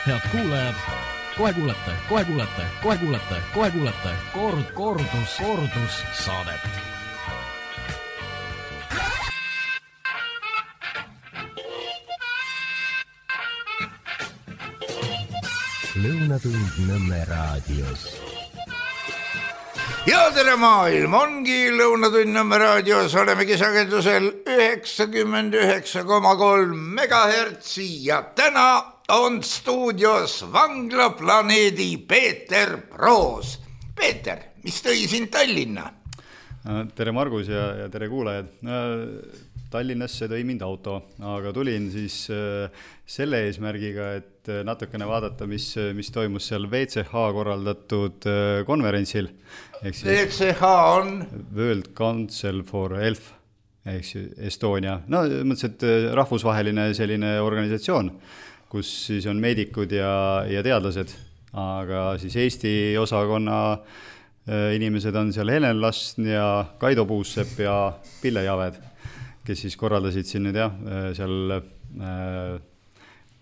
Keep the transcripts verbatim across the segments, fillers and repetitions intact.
Head kuulajad, kohe kuulete, kohe kuulete, kohe kuulete, kohe kuulete kord, kordus, kordus saadet. Lõunatund Nõmme raadios. Ja tere maailm, ongi Lõunatund Nõmme raadios, olemegi sagedusel üheksakümmend üheksa koma kolm megahertsi ja täna on stuudios Vanglaplaneedi Peeter Proos. Peeter, mis tõi sind Tallinna? Tere Margus ja, ja tere kuulajad. Tallinnasse tõi mind auto, aga tulin siis selle eesmärgiga, et natukene vaadata, mis, mis toimus seal V C H korraldatud konverentsil. V C H on? World Council for Health, ehk Estonia. No mõtlesin, et rahvusvaheline selline organisatsioon, kus siis on meedikud ja, ja teadlased, aga siis Eesti osakonna inimesed on seal Helen Lastn ja Kaido Puussepp ja Pille Javed, kes siis korraldasid siin nüüd jah, seal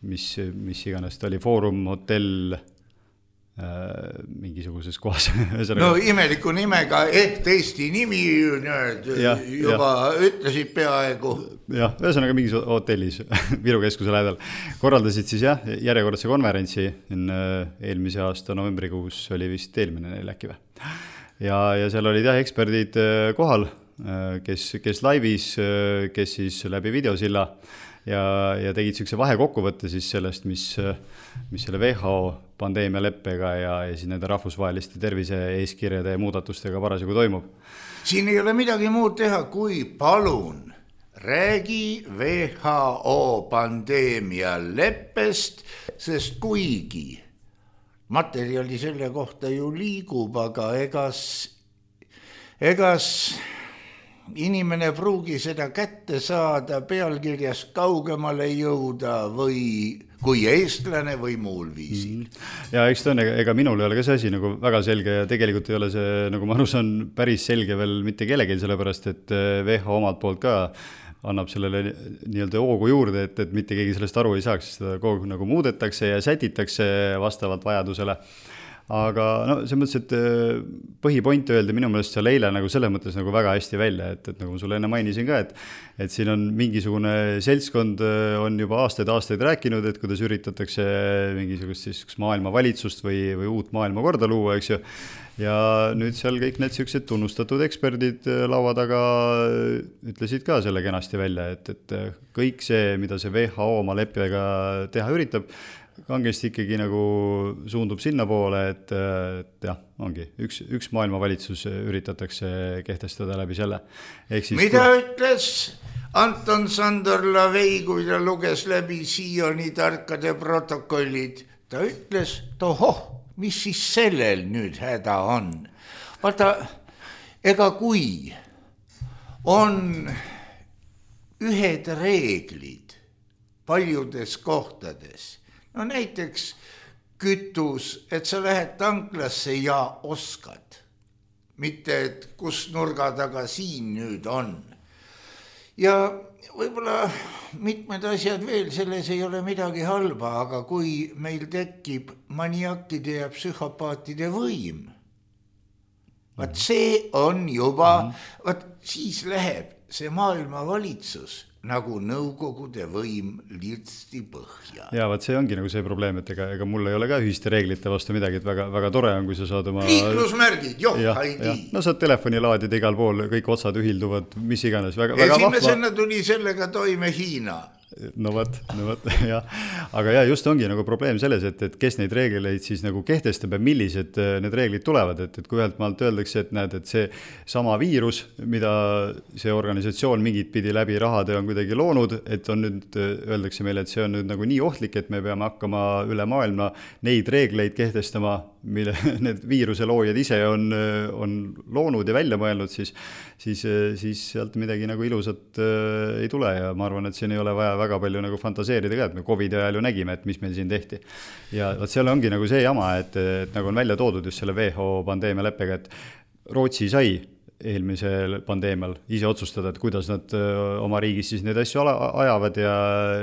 mis, mis iganes ta oli, Foorum Hotell mingisuguses kohas. No imeliku nimega, ehk Eesti nimi nüüd ja, juba ja. Ütlesid peaaegu. Jah, ühesõnaga mingis hotellis Viru keskuse lähedal. Korraldasid siis jah, järjekordse konverentsi eelmise aasta novembrikuus oli vist eelmine neil äkki või. Ja, ja seal olid jah, eksperdid kohal, kes, kes laivis, kes siis läbi videosilla ja, ja tegid sükse vahekokkuvõtte siis sellest, mis, mis selle W H O pandeemialeppega ja, ja siis nende rahvusvaheliste tervise eeskirjade ja muudatustega parasjagu toimub. Siin ei ole midagi muud teha, kui palun räägi W H O pandeemialeppest, sest kuigi materjali selle kohta ju liigub, aga egas, egas inimene pruugi seda kätte saada, pealkirjast kaugemale jõuda või kui eestlane või muul viisil. Ja eks ta on, ega minul ei ole ka see asi nagu väga selge ja tegelikult ei ole see, nagu ma arus on päris selge veel mitte kellelgi, sellepärast et W H O omalt poolt ka annab sellele nii-öelda hoogu juurde, et, et mitte keegi sellest aru ei saaks, seda kogu nagu muudetakse ja sätitakse vastavalt vajadusele. Aga no, see mõttes, et põhipoint öelda minu meelest seal eile nagu selles mõttes nagu väga hästi välja, et, et nagu ma sulle enne mainisin ka, et, et siin on mingisugune seltskond on juba aastaid-aastaid rääkinud, et kuidas üritatakse mingisugust siis maailma valitsust või, või uut maailma korda luua, eks ju. Ja nüüd seal kõik need sellised tunnustatud eksperdid laua taga ütlesid ka selle kenasti välja, et, et kõik see, mida see W H O oma leppega teha üritab, kangesti ikkagi nagu suundub sinna poole, et, et jah, ongi üks, üks maailma valitsus üritatakse kehtestada läbi selle. Siis, mida kui... ütles Anton Sandor Lavei, kui ta luges läbi Sioni tarkade protokollid? Ta ütles, tohoh, mis siis sellel nüüd häda on? Vaata, ega kui on ühed reeglid paljudes kohtades, no näiteks kütus, et sa lähed tanklasse ja oskad. Mitte, et kus nurga taga siin nüüd on. Ja võib-olla mitmed asjad veel, selles ei ole midagi halba, aga kui meil tekib maniakide ja psühhopaatide võim, vaat see on juba, vaat siis läheb see maailma valitsus nagu nõukogude võim lirtsti põhja. Ja vaat see ongi nagu see probleem, et ega, ega mul ei ole ka ühiste reeglite vastu midagi, et väga, väga tore on, kui sa saad oma... Liiklusmärgid, joh, haidi. No saad telefonilaadida igal pool, kõik otsad ühilduvad, mis iganes. Väga, väga esimesena tuli sellega toime Hiina. No võt, no võt, jah. Aga jah, just ongi nagu probleem selles, et, et kes neid reegleid siis nagu kehtestab ja millised need reeglid tulevad, et, et kui ühelt maalt öeldakse, et näed, et see sama viirus, mida see organisatsioon mingit pidi läbi rahade on kuidagi loonud, et on nüüd, öeldakse meile, et see on nüüd nagu nii ohtlik, et me peame hakkama üle maailma neid reegleid kehtestama, mille need viiruse loojad ise on, on loonud ja välja mõelnud, siis, siis, siis sealt midagi nagu ilusat äh, ei tule ja ma arvan, et siin ei ole vaja väga palju nagu fantaseerida ka, et me COVID ajal ju nägime, et mis meil siin tehti. Ja vaat seal ongi nagu see jama, et, et nagu on välja toodud just selle W H O pandeemia leppega, et Rootsi sai eelmisel pandeemial ise otsustada, et kuidas nad oma riigis siis neid asju ajavad ja,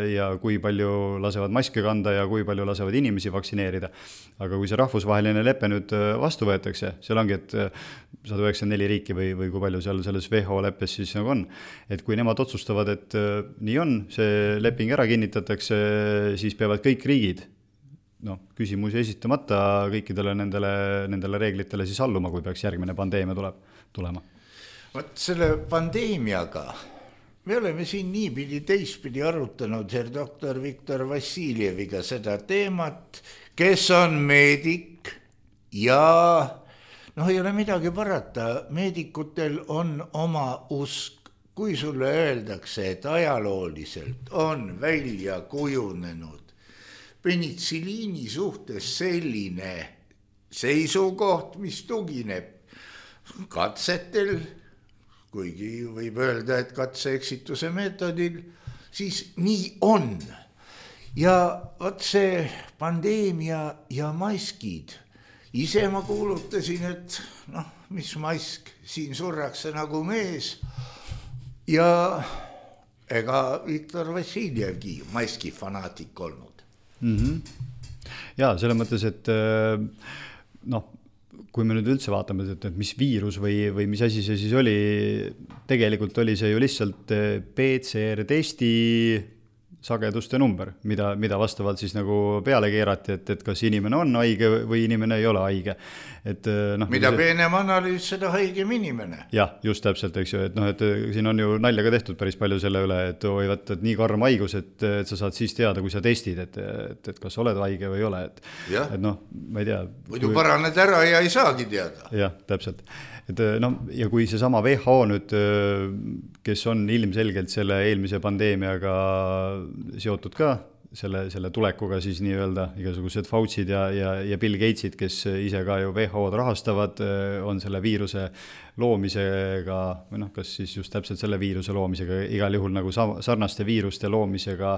ja kui palju lasevad maske kanda ja kui palju lasevad inimesi vaktsineerida. Aga kui see rahvusvaheline lepe nüüd vastu võetakse, seal ongi, et sada üheksakümmend neli riiki või, või kui palju seal selles W H O leppes siis nagu on, et kui nemad otsustavad, et nii on, see leping ära kinnitatakse, siis peavad kõik riigid no, küsimusi esitamata kõikidele nendele, nendele reeglitele siis alluma, kui peaks järgmine pandeemia tuleb, tulema. Võt selle pandeemiaga me oleme siin niipidi teistpidi arutanud her doktor Viktor Vassiljeviga seda teemat, kes on meedik ja noh, ei ole midagi parata, meedikutel on oma usk, kui sulle öeldakse, et ajalooliselt on välja kujunenud penitsiliini suhtes selline seisukoht, mis tugineb katsetel, kuigi võib öelda, et katse-eksituse meetodil, siis nii on. Ja võt see pandeemia ja maskid, ise ma kuulutasin, et noh, mis mask, siin surrakse nagu mees ja ega Viktor Vassiljevgi maski fanaatik olnud. Mm-hmm. Ja selles mõttes, et noh, kui me nüüd üldse vaatame, et, et mis viirus või, või mis asi see siis oli, tegelikult oli see ju lihtsalt P C R testi sageduste number, mida, mida vastavalt siis nagu peale keerati, et, et kas inimene on haige või inimene ei ole haige. Et, noh, mida see... peenem analüüs, seda haigem inimene. Jah, just täpselt, eks ju, et, noh, et siin on ju nalja ka tehtud päris palju selle üle, et oi, võt, et nii karm haigus, et, et sa saad siis teada, kui sa testid, et, et, et kas oled haige või ei ole. Et, et noh, ma ei tea. Muidu kui... paraned ära ja ei saagi teada. Jah, täpselt. Et, no, ja kui see sama W H O nüüd, kes on ilmselgelt selle eelmise pandeemiaga seotud ka, selle, selle tulekuga siis nii-öelda igasugused Fauci'd ja, ja, ja Bill Gatesid, kes ise ka ju W H O-d rahastavad, on selle viiruse loomisega, või noh, kas siis just täpselt selle viiruse loomisega, igal juhul nagu sarnaste viiruste loomisega.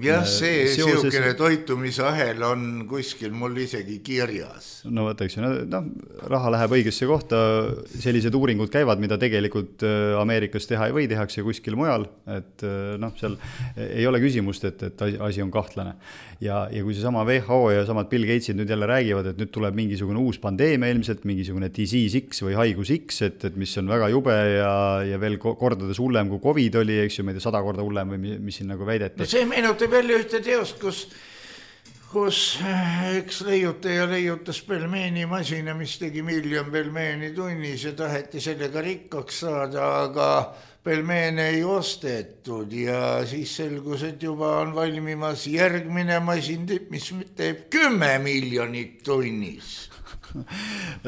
Jah, see seoses... siukene toitumisahel on kuskil mul isegi kirjas. No võtaks, no, raha läheb õigesse kohta, sellised uuringud käivad, mida tegelikult Ameerikas teha ei või, tehakse kuskil mujal, et noh, seal ei ole küsimust, et, et asi on kahtlane. Ja, ja kui see sama W H O ja samad Bill Gatesid nüüd jälle räägivad, et nüüd tuleb mingisugune uus pandeemia ilmselt, mingisugune disease X või haigus X, et, et mis on väga jube ja, ja veel kordades hullem kui COVID oli, eks ju, ma ei tea, sada korda hullem või mis siin nagu väideti. No see meenutab jälle ühte teost, kus, kus üks leiutaja leiutas pelmeeni masina, mis tegi miljon pelmeeni tunnis ja taheti sellega rikkaks saada, aga pelmeene ei ostetud ja siis selgus, et juba on valmimas järgmine masin, mis teeb kümme miljonit tunnis.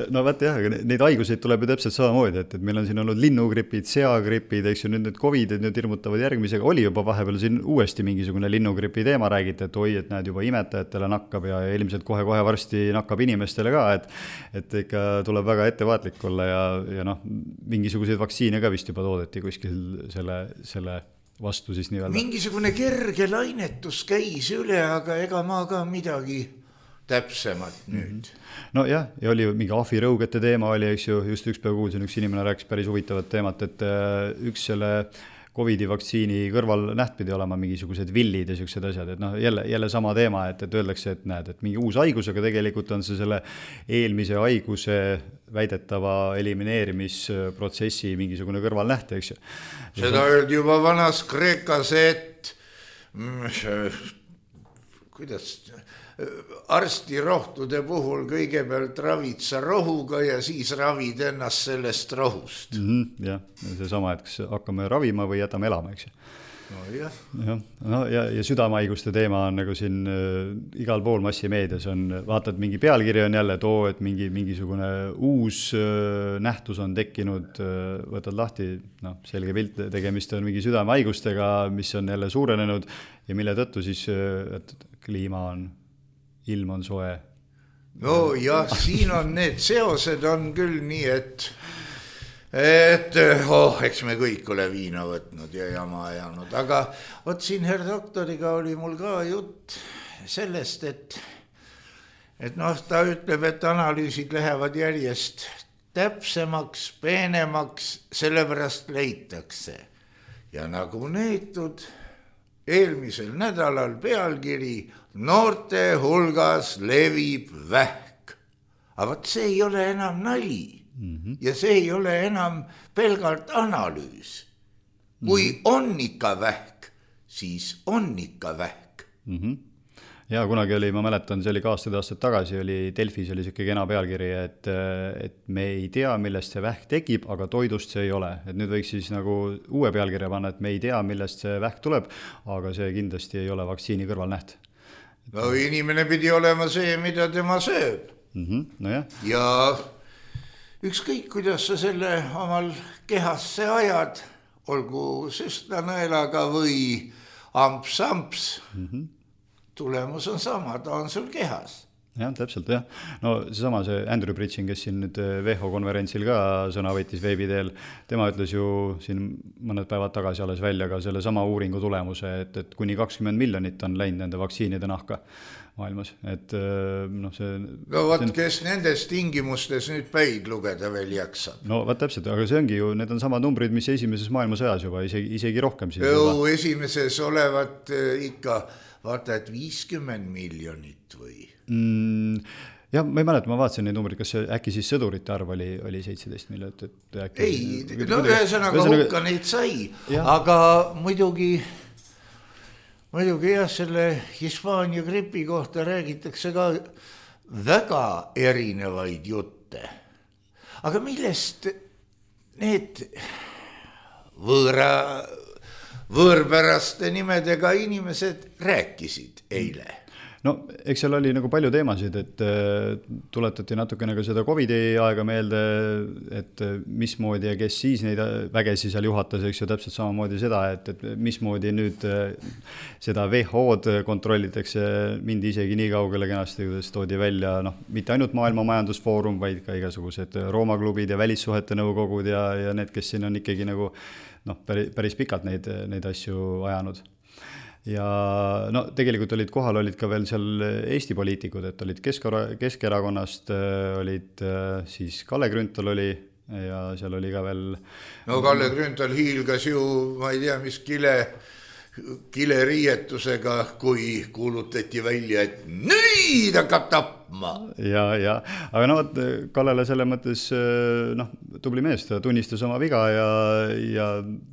No vaata jah, neid haiguseid tuleb ju täpselt samamoodi, et, et meil on siin olnud linnugripid, seagripid, eks ju, nüüd need COVIDid nüüd hirmutavad järgmisega, oli juba vahepeal siin uuesti mingisugune linnugripi teema räägiti, et oi, et näed juba imetajatele nakkab ja ilmselt kohe-kohe varsti nakkab inimestele ka, et, et ikka tuleb väga ettevaatlik olla ja, ja noh, mingisuguseid vaktsiine ka vist juba toodeti kuskil selle, selle vastu siis nii-öelda. Mingisugune kerge lainetus käis üle, aga ega ma ka midagi täpsemalt nüüd. No jah, ja oli mingi ahvirõugete teema oli, eks ju, just üks päev kuulsin, üks inimene rääkis päris huvitavat teemat, et üks selle COVIDi vaktsiini kõrval näht pidi olema mingisugused villid ja sellised asjad, et noh, jälle, jälle sama teema, et, et öeldakse, et näed, et mingi uus haigus, aga tegelikult on see selle eelmise haiguse väidetava elimineerimisprotsessi mingisugune kõrval näht, eks ju. Seda öeldi juba vanas Kreekas, et kuidas arstirohtude puhul kõigepealt ravid sa rohuga ja siis ravid ennast sellest rohust. Mm-hmm, jah, see sama, et kas hakkame ravima või jätame elama, eks ju. No jah. Ja, no, ja, ja südamehaiguste teema on nagu siin äh, igal pool massimeedias on, vaatad mingi pealkiri on jälle too, et mingi, mingisugune uus äh, nähtus on tekkinud, äh, võtad lahti, noh, selge pilt, tegemist on mingi südamehaigustega, mis on jälle suurenenud ja mille tõttu siis, et kliima on ilm on soe. No jah, siin on need seosed on küll nii, et et oh, eks me kõik ole viina võtnud ja jama ajanud, aga võt siin her doktoriga oli mul ka jutt sellest, et et noh, ta ütleb, et analüüsid lähevad järjest täpsemaks, peenemaks, sellepärast leitakse. Ja nagu neetud eelmisel nädalal pealkiri noorte hulgas levib vähk. Aga võt see ei ole enam nali mm-hmm. ja see ei ole enam pelgalt analüüs. Kui mm-hmm. on ikka vähk, siis on ikka vähk. Mm-hmm. Ja kunagi oli, ma mäletan, see oli ka aastad aastad tagasi, oli Delfis oli siuke kena pealkiri, et, et me ei tea, millest see vähk tekib, aga toidust see ei ole. Et nüüd võiks siis nagu uue pealkirja panna, et me ei tea, millest see vähk tuleb, aga see kindlasti ei ole vaktsiini kõrvalnäht. No inimene pidi olema see, mida tema sööb. Mm-hmm. No jah. Ja ükskõik, kuidas sa selle omal kehasse ajad, olgu süstlanõelaga või amps-amps, mm-hmm. tulemus on sama, ta on sul kehas. Jah, täpselt, jah. No seesama see Andrew Bridging, kes siin nüüd W H O konverentsil ka sõna võttis veebiteel, tema ütles ju siin mõned päevad tagasi alles välja ka selle sama uuringu tulemuse, et, et kuni kakskümmend miljonit on läinud nende vaktsiinide nahka maailmas. Et noh, see... No võt, see... kes nendes tingimustes nüüd päid lugeda veel jaksab? No võt täpselt, aga see ongi ju, need on samad numbrid, mis esimeses maailmasõjas juba, isegi, isegi rohkem. Jõu, esimeses olevat ikka... Vaata, et viiskümmend miljonit või? Mm, jah, ma ei mäleta, ma vaatasin neid numbrid, kas äkki siis sõdurite arv oli, oli seitseteist miljonit? Et äkki, ei, no ühesõnaga hukka neid sai, ja. Aga muidugi, muidugi jah, selle Hispaania gripi kohta räägitakse ka väga erinevaid jutte. Aga millest need võõra... võõrpäraste nimedega inimesed rääkisid eile? No, eks seal oli nagu palju teemasid, et tuletati natukene ka seda Covidi aega meelde, et mismoodi ja kes siis neid vägesi seal juhatas, eks ju täpselt samamoodi seda, et, et mismoodi nüüd seda W H O-d kontrollitakse, mindi isegi nii kaugele kenasti, kuidas toodi välja, noh, mitte ainult Maailma Majandusfoorum, vaid ka igasugused Rooma klubid ja välissuhete nõukogud ja, ja need, kes siin on ikkagi nagu noh, päris, päris pikalt neid, neid asju ajanud. Ja no tegelikult olid kohal, olid ka veel seal Eesti poliitikud, et olid Keskerakonnast, olid siis Kalle Grünthal oli ja seal oli ka veel... No Kalle Grünthal hiilgas ju, ma ei tea, mis kile, kile riietusega, kui kuulutati välja, et nüüd hakkab tapma. Ja, ja, aga no, Kallele selle mõttes noh, tubli mees, ta tunnistas oma viga ja, ja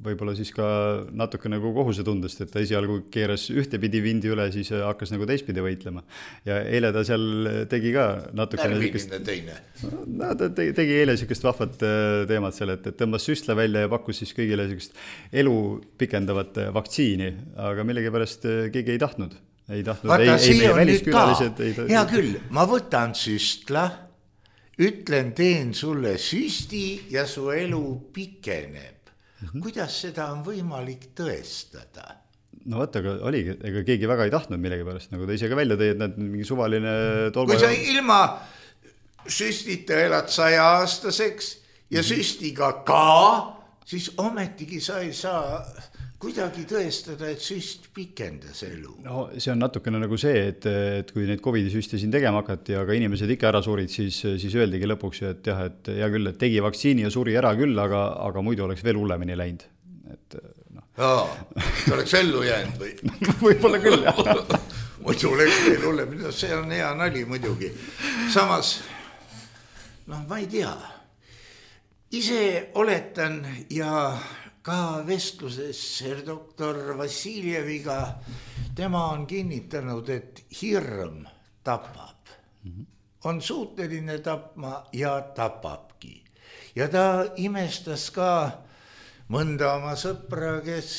võib-olla siis ka natuke nagu kohuse tundest, et ta esialgu keeras ühtepidi vindi üle, siis hakkas nagu teistpidi võitlema. Ja eile ta seal tegi ka natukene... Närviline teine. No, ta tegi, tegi eile sellist vahvat teemat seal, et, et tõmbas süstla välja ja pakkus siis kõigile sellist elu pikendavat vaktsiini, aga millegipärast keegi ei tahtnud. Ei tahtnud, Vaata, ei, ei meie väliskülalised. Ei, hea küll, ma võtan süstla, ütlen, teen sulle süsti ja su elu pikeneb. Mm-hmm. Kuidas seda on võimalik tõestada? No vaata, aga oligi, ega keegi väga ei tahtnud millegipärast, nagu ta ise ka välja tõi, et need mingi suvaline tolba... Kui sa ilma süstita elad saja aastaseks ja mm-hmm. süstiga ka, siis ometigi sa ei saa... kuidagi tõestada, et süst pikendas elu? No see on natukene nagu see, et, et kui neid Covidi süste siin tegema hakati, aga inimesed ikka ära surid, siis, siis öeldigi lõpuks, et jah, et hea küll, et tegi vaktsiini ja suri ära küll, aga, aga muidu oleks veel hullemini läinud. Et, no. Jaa, see oleks ellu jäänud või? Võib-olla küll, jah. Muidu oleks veel hullemini, see on hea nali muidugi. Samas, noh, ma ei tea. Ise oletan ja... ka vestluses doktor Vassiljeviga, tema on kinnitanud, et hirm tapab. Mm-hmm. On suuteline tapma ja tapabki. Ja ta imestas ka mõnda oma sõpra, kes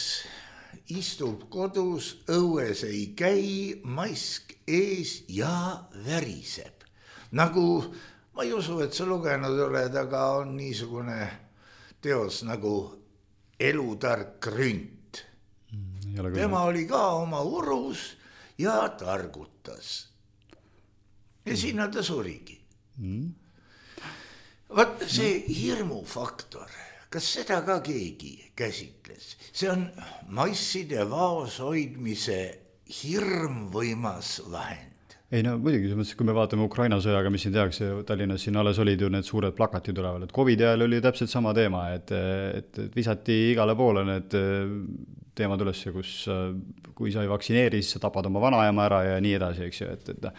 istub kodus, õues ei käi, mask ees ja väriseb. Nagu, ma ei usu, et sa lugenud oled, aga on niisugune teos nagu Elutark rünt. Mm, tema oli ka oma urus ja targutas. Ja mm. sinna ta surigi. Mm. Vaat see hirmufaktor, kas seda ka keegi käsitles? See on masside vaos hoidmise hirmvõimas vahend. ei no muidugi, kui me vaatame Ukraina sõjaga, mis siin tehakse, Tallinnas siin alles olid ju need suured plakatid üleval, et Covidi ajal oli täpselt sama teema, et, et, et visati igale poole need teemad üles, kus kui sa ei vaktsineeri, siis sa tapad oma vanaema ära ja nii edasi, eks ju, et, et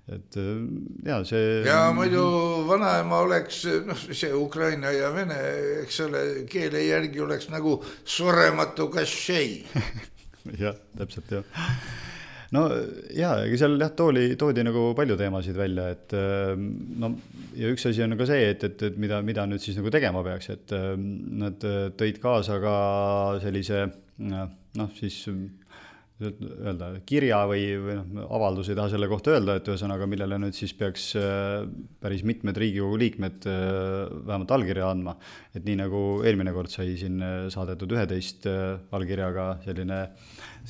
et ja see ja muidu vanaema oleks, noh see Ukraina ja Vene, eks ole, keele järgi oleks nagu surematu kašei. jah, täpselt jah. No jaa, ega seal jah, tooli, toodi nagu palju teemasid välja, et no ja üks asi on ka see, et, et, et mida, mida nüüd siis nagu tegema peaks, et nad tõid kaasa ka sellise noh siis öelda, kirja või, või noh, avaldus ei taha selle kohta öelda, et ühesõnaga, millele nüüd siis peaks päris mitmed Riigikogu liikmed vähemalt allkirja andma, et nii nagu eelmine kord sai siin saadetud üheteist allkirjaga selline,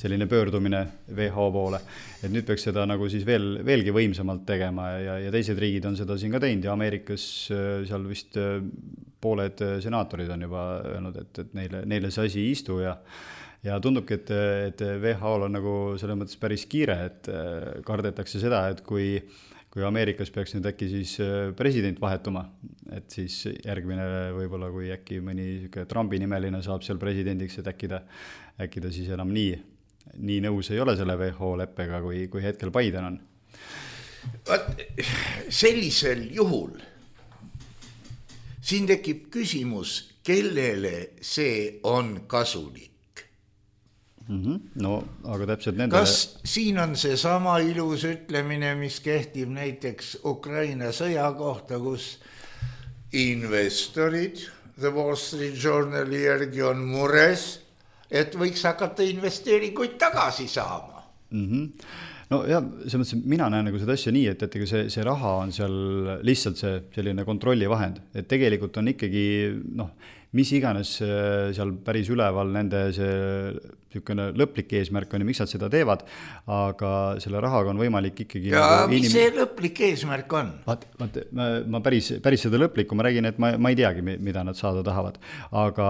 selline pöördumine W H O poole, et nüüd peaks seda nagu siis veel, veelgi võimsamalt tegema ja, ja teised riigid on seda siin ka teinud ja Ameerikas seal vist pooled senaatorid on juba öelnud, et, et neile, neile see asi ei istu ja Ja tundubki, et, et W H O on nagu selles mõttes päris kiire, et kardetakse seda, et kui, kui Ameerikas peaks nüüd äkki siis president vahetuma, et siis järgmine võib-olla, kui äkki mõni Trumpi nimeline saab seal presidendiks, et äkki ta, äkki ta siis enam nii, nii nõus ei ole selle W H O leppega, kui, kui hetkel Biden on. Vaat, sellisel juhul siin tekib küsimus, kellele see on kasulik. Mm-hmm. No, aga täpselt nende... Kas siin on see sama ilus ütlemine, mis kehtib näiteks Ukraina sõja kohta, kus investorid, The Wall Street Journali järgi on mures, et võiks hakata investeeringuid tagasi saama? Mm-hmm. No ja selles mõttes, mina näen nagu seda asja nii, et, et see, see raha on seal lihtsalt see selline kontrollivahend, et tegelikult on ikkagi, noh, mis iganes seal päris üleval nende see niisugune lõplik eesmärk on ja miks nad seda teevad, aga selle rahaga on võimalik ikkagi... Ja nagu mis inim... see lõplik eesmärk on? Vaat, vaat, ma, ma päris, päris seda lõplikku, ma räägin, et ma, ma ei teagi, mida nad saada tahavad, aga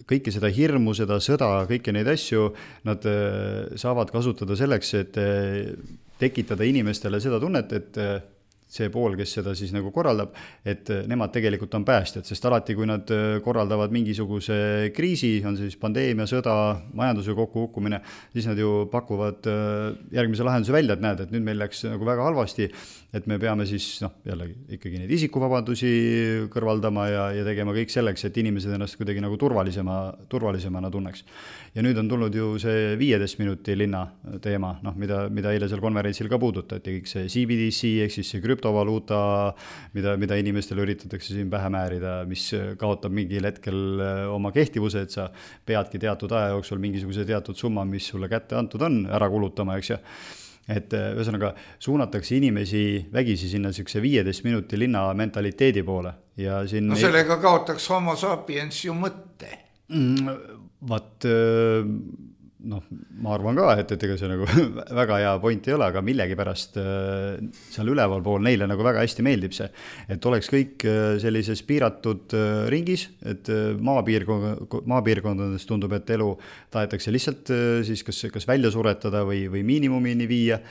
kõike seda hirmu, seda sõda, kõiki neid asju, nad saavad kasutada selleks, et tekitada inimestele seda tunnet, et see pool, kes seda siis nagu korraldab, et nemad tegelikult on päästjad, sest alati, kui nad korraldavad mingisuguse kriisi, on see siis pandeemia, sõda, majanduse kokkukukkumine, siis nad ju pakuvad järgmise lahenduse välja, et näed, et nüüd meil läks nagu väga halvasti, et me peame siis, noh, jällegi ikkagi neid isikuvabadusi kõrvaldama ja, ja tegema kõik selleks, et inimesed ennast kuidagi nagu turvalisema, turvalisemana tunneks. Ja nüüd on tulnud ju see viieteist minuti linna teema, noh, mida, mida eile seal konverentsil ka puudutati, kõik see C B D C, ehk siis see krüptovaluuta, mida, mida inimestele üritatakse siin pähe määrida, mis kaotab mingil hetkel oma kehtivuse, et sa peadki teatud aja jooksul mingisuguse teatud summa, mis sulle kätte antud on, ära kulutama, eks ju. Et ühesõnaga suunatakse inimesi vägisi sinna siukse viieteist minuti linna mentaliteedi poole. Ja siin no sellega kaotaks homo sapiens ju mõtte. Mm, vaat, noh, ma arvan ka, et, et ega see nagu väga hea point ei ole, aga millegi pärast seal üleval pool neile nagu väga hästi meeldib see, et oleks kõik sellises piiratud ringis, et maapiirkond, maapiirkondades tundub, et elu tahetakse lihtsalt siis kas, kas välja suretada või, või miinimumini viia,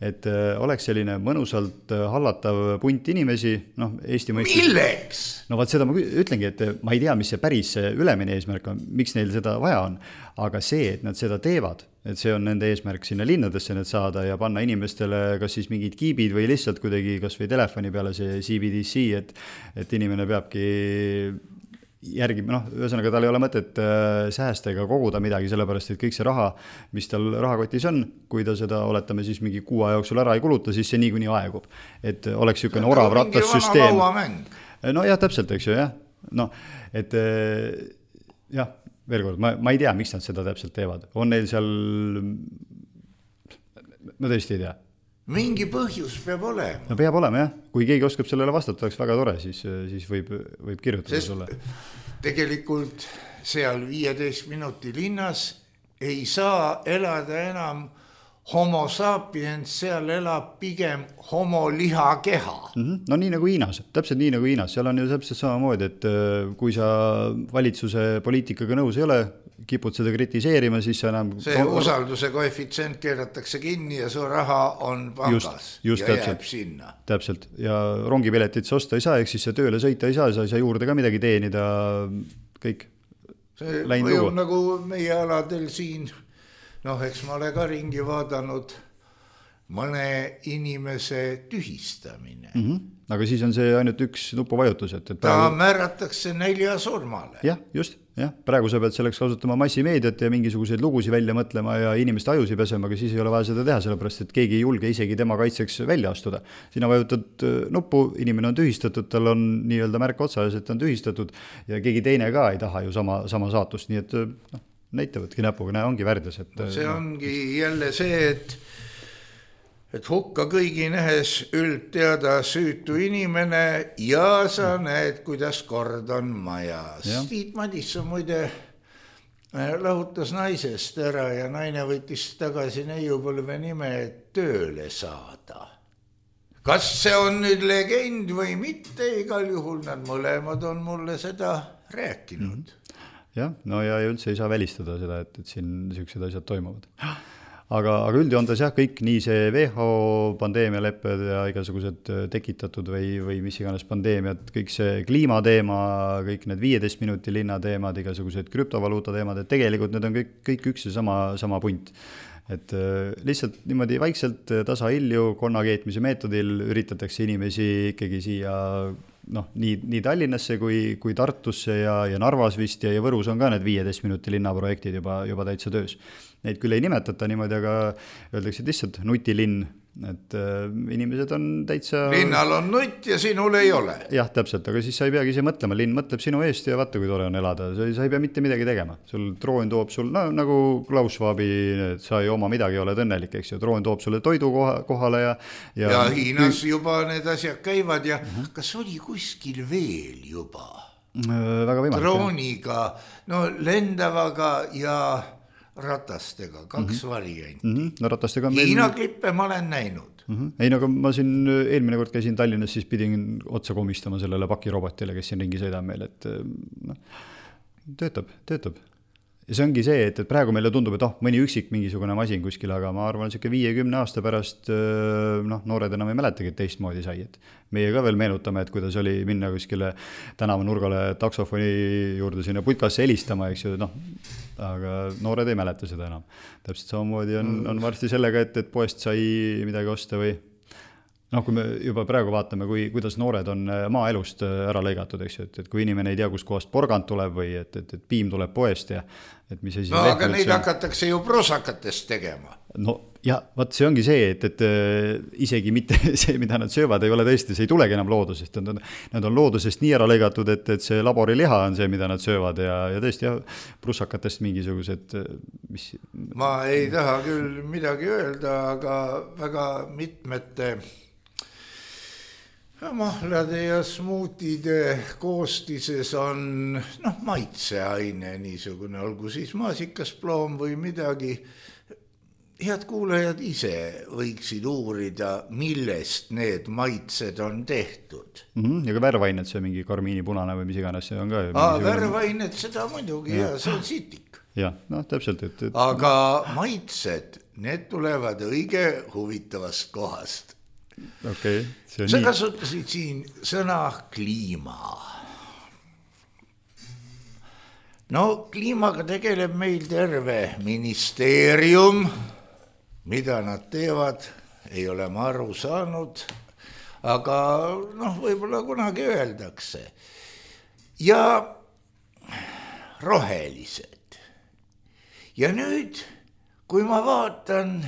et oleks selline mõnusalt hallatav punt inimesi, noh, Eesti mõistes... Milleks? No vaat seda ma ütlengi, et ma ei tea, mis see päris ülemine eesmärk on, miks neil seda vaja on, aga see, et nad seda teevad, et see on nende eesmärk sinna linnadesse need saada ja panna inimestele kas siis mingid kiibid või lihtsalt kuidagi kas või telefoni peale see C B D C, et, et inimene peabki järgi, noh, ühesõnaga tal ei ole mõtet säästa ega koguda midagi, sellepärast, et kõik see raha, mis tal rahakotis on, kui ta seda, oletame siis mingi kuu aja jooksul ära ei kuluta, siis see niikuinii aegub. Et oleks niisugune orav rattassüsteem. No jah, täpselt, eks ju, jah. No, et jah, veel kord, ma, ma ei tea, miks nad seda täpselt teevad. On neil seal, ma tõesti ei tea. Mingi põhjus peab olema. No peab olema, jah. Kui keegi oskab sellele vastata, oleks väga tore, siis, siis võib, võib kirjutada sulle. Sest tegelikult seal viieteist minuti linnas ei saa elada enam homo sapiens, seal elab pigem homo lihakeha. Mm-hmm. No nii nagu Hiinas, täpselt nii nagu Hiinas, seal on ju täpselt samamoodi, et kui sa valitsuse poliitikaga nõus ei ole, kipud seda kritiseerima, siis sa enam... See usalduse koefitsient keeratakse kinni ja su raha on pangas just, just ja täpselt, jääb sinna. Täpselt, ja rongipiletit sa osta ei saa, ehk siis sa tööle sõita ei saa, sa ei saa juurde ka midagi teenida, kõik. See mõjub nagu meie aladel siin, noh, eks ma ole ka ringi vaadanud, mõne inimese tühistamine. Mm-hmm. Aga siis on see ainult üks nupuvajutus, et, et praegu... ta määratakse nälja surmale. Jah, just, jah. Praegu sa pead selleks kasutama massimeediat ja mingisuguseid lugusid välja mõtlema ja inimeste ajusi pesema, aga siis ei ole vaja seda teha, sellepärast et keegi ei julge isegi tema kaitseks välja astuda. Sina vajutad nuppu, inimene on tühistatud, tal on nii-öelda märk otsas, et ta on tühistatud ja keegi teine ka ei taha ju sama, sama saatust, nii et noh, näitavadki näpuga, näe, ongi värdjas. Et, no see ongi jälle see, et et hukka kõigi nähes üldteada süütu inimene ja sa näed, kuidas kord on majas. Tiit Madisson muide lahutas naisest ära ja naine võttis tagasi neiupõlve nime, et tööle saada. Kas see on nüüd legend või mitte, igal juhul nad mõlemad on mulle seda rääkinud. Mm. Jah, no ja üldse ei saa välistada seda, et, et siin niisugused asjad toimuvad. Aga, aga üldjoontes jah, kõik nii see W H O pandeemialepped ja igasugused tekitatud või, või mis iganes pandeemiad, kõik see kliimateema, kõik need viieteist minuti linna teemad, igasugused krüptovaluuta teemad, et tegelikult need on kõik, kõik üks ja sama, sama punt. Et lihtsalt niimoodi vaikselt tasahilju konnakeetmise meetodil üritatakse inimesi ikkagi siia noh, nii, nii Tallinnasse kui, kui Tartusse ja, ja Narvas vist ja, ja Võrus on ka need viieteist minuti linnaprojektid juba, juba täitsa töös. Neid küll ei nimetata niimoodi, aga öeldakse lihtsalt nutilinn, et äh, inimesed on täitsa... Linnal on nutt ja sinul ei ole. Jah, täpselt, aga siis sa ei peagi ise mõtlema, linn mõtleb sinu eest ja vaata, kui tore on elada. Sa, sa ei pea mitte midagi tegema. Sul droon toob sul, no nagu Klaus Schwabi, sa ei oma midagi, oled õnnelik, eks ju. Droon toob sulle toidu koha, kohale ja... Ja, ja Hiinas juba need asjad käivad ja uh-huh. Kas oli kuskil veel juba? Väga võimalik. Drooniga, no lendavaga ja... ratastega, kaks mm-hmm. varianti. Mm-hmm. No ratastega meil... Hiina klippe ma olen näinud. Mm-hmm. Ei, no aga ma siin eelmine kord käisin Tallinnas, siis pidin otsa komistama sellele pakirobotile, kes siin ringi sõidab meil, et no, töötab, töötab. Ja see ongi see, et, et praegu meile tundub, et oh, mõni üksik mingisugune masin kuskil, aga ma arvan, et viiekümne aasta pärast noh, noored enam ei mäletagi, et teistmoodi sai. Et meie ka veel meenutame, et kuidas oli minna kuskile tänava nurgale taksofoni juurde sinna putkasse helistama, eks ju, noh, aga noored ei mäleta seda enam. Täpselt samamoodi on, on varsti sellega, et, et poest sai midagi osta või noh, kui me juba praegu vaatame, kui, kuidas noored on maaelust ära lõigatud, eks ju, et, et kui inimene ei tea, kus kohast porgand tuleb või et, et, et piim tuleb poest ja et mis asi... No aga neid on... hakatakse ju prosakatest tegema. No ja vaat see ongi see, et, et isegi mitte see, mida nad söövad, ei ole tõesti, see ei tulegi enam loodusest. Nad on, nad on loodusest nii ära lõigatud, et, et see laboriliha on see, mida nad söövad ja, ja tõesti jah, prosakatest mingisugused... Mis... Ma ei taha küll midagi öelda, aga väga mitmete... mahlade ja smuutide koostises on noh, maitseaine niisugune, olgu siis maasikas, ploom või midagi. Head kuulajad ise võiksid uurida, millest need maitsed on tehtud. Mm-hmm. Ja ka värvained, see mingi karmiini punane või mis iganes, see on ka... Aa, värvained, seda muidugi, ja, ja see on sitik. Ja, noh, täpselt. Et, et... Aga maitsed, need tulevad õige huvitavast kohast. Okay, sa nii... kasutasid siin sõna kliima. No kliimaga tegeleb meil terve ministeerium, mida nad teevad, ei ole ma aru saanud, aga noh, võib-olla kunagi öeldakse. Ja rohelised. Ja nüüd, kui ma vaatan...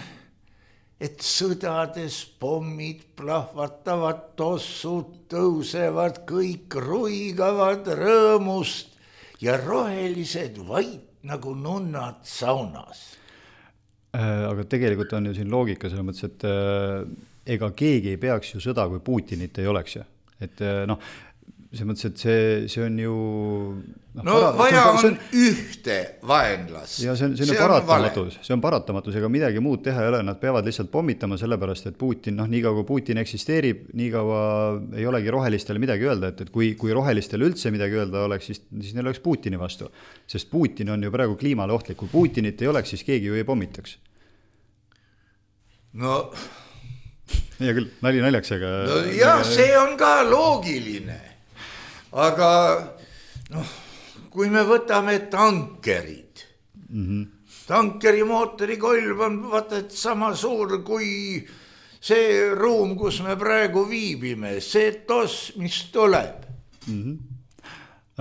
et sõdades pommid plahvatavad, tossud tõusevad, kõik ruigavad rõõmust ja rohelised vait nagu nunnad saunas. Aga tegelikult on ju siin loogika selles mõttes, et ega keegi ei peaks ju sõda, kui Putinit ei oleks ju. Et noh, see mõttes, et see, see on ju no, no para, vaja on, on ühte vaenlast. Ja see on, see on, see on paratamatus, see on paratamatus, ega midagi muud teha ei ole, nad peavad lihtsalt pommitama sellepärast, et Putin, noh, nii kaua kui Putin eksisteerib, nii kaua ei olegi rohelistele midagi öelda, et, et kui, kui rohelistele üldse midagi öelda oleks, siis, siis neil oleks Putini vastu, sest Putin on ju praegu kliimale ohtlik, kui Putinit ei oleks, siis keegi ju ei pommitaks. No ja küll, nali naljaks, aga no jah, see on ka loogiline, aga noh, kui me võtame tankerid, mm-hmm. tankeri mootori kolb on vaata, et sama suur kui see ruum, kus me praegu viibime, see tos, mis tuleb. Mm-hmm.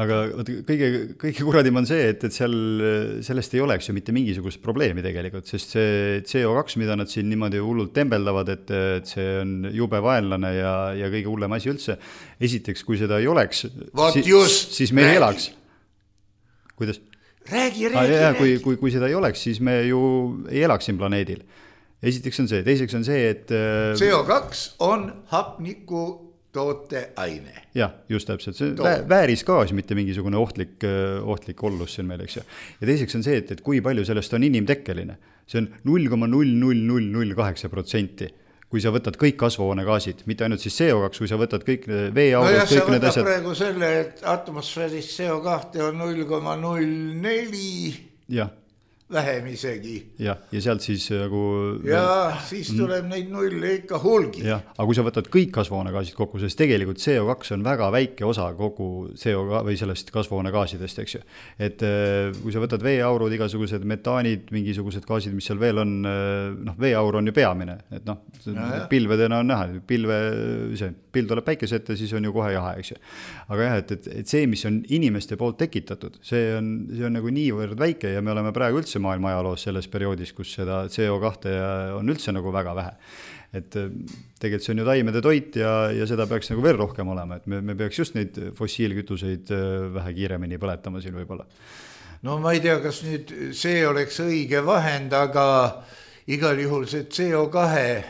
Aga kõige, kõige kuradim on see, et, et seal, sellest ei oleks ju mitte mingisugust probleemi tegelikult, sest see C O kaks, mida nad siin niimoodi hullult tembeldavad, et, et see on jube vaenlane ja, ja kõige hullem asi üldse. Esiteks, kui seda ei oleks, si, siis me ei elaks. Kuidas? Räägi, räägi, ah, jah, räägi. Kui, kui, kui seda ei oleks, siis me ju ei elaks siin planeedil. Esiteks on see, teiseks on see, et C O kaks on hapniku tooteaine. Jah, just täpselt, see on väärisgaas, mitte mingisugune ohtlik, ohtlik ollus siin meil, eks ju. Ja teiseks on see, et, et kui palju sellest on inimtekkeline. See on null koma null null null null kaheksa protsenti, kui sa võtad kõik kasvuhoonegaasid, mitte ainult siis C O kaks, kui sa võtad kõik veeaurud, no kõik need asjad. No praegu selle, et atmosfääris C O kaks on null koma null neli jah. Vähem isegi. Ja, ja sealt siis nagu... Ja siis tuleb mm. neid nulle ikka hulgi. Ja, aga kui sa võtad kõik kasvuhoonegaasid kokku, sest tegelikult C O kaks on väga väike osa kogu C O või sellest kasvuhoonegaasidest, eks ju. Et kui sa võtad veeaurud, igasugused metaanid, mingisugused gaasid, mis seal veel on, noh, veeaur on ju peamine, et noh, no, pilvedena on näha, pilve, see, pill tuleb päikese ette, siis on ju kohe jahe, eks ju. Aga jah, et, et, et see, mis on inimeste poolt tekitatud, see on, see on nagu niivõrd väike ja me oleme praegu üldse maailma ajaloos selles perioodis, kus seda C O kaks on üldse nagu väga vähe. Et tegelikult see on ju taimede toit ja, ja seda peaks nagu veel rohkem olema, et me, me peaks just neid fossiilkütuseid vähe kiiremini põletama siin võib-olla. No ma ei tea, kas nüüd see oleks õige vahend, aga igal juhul see C O kaks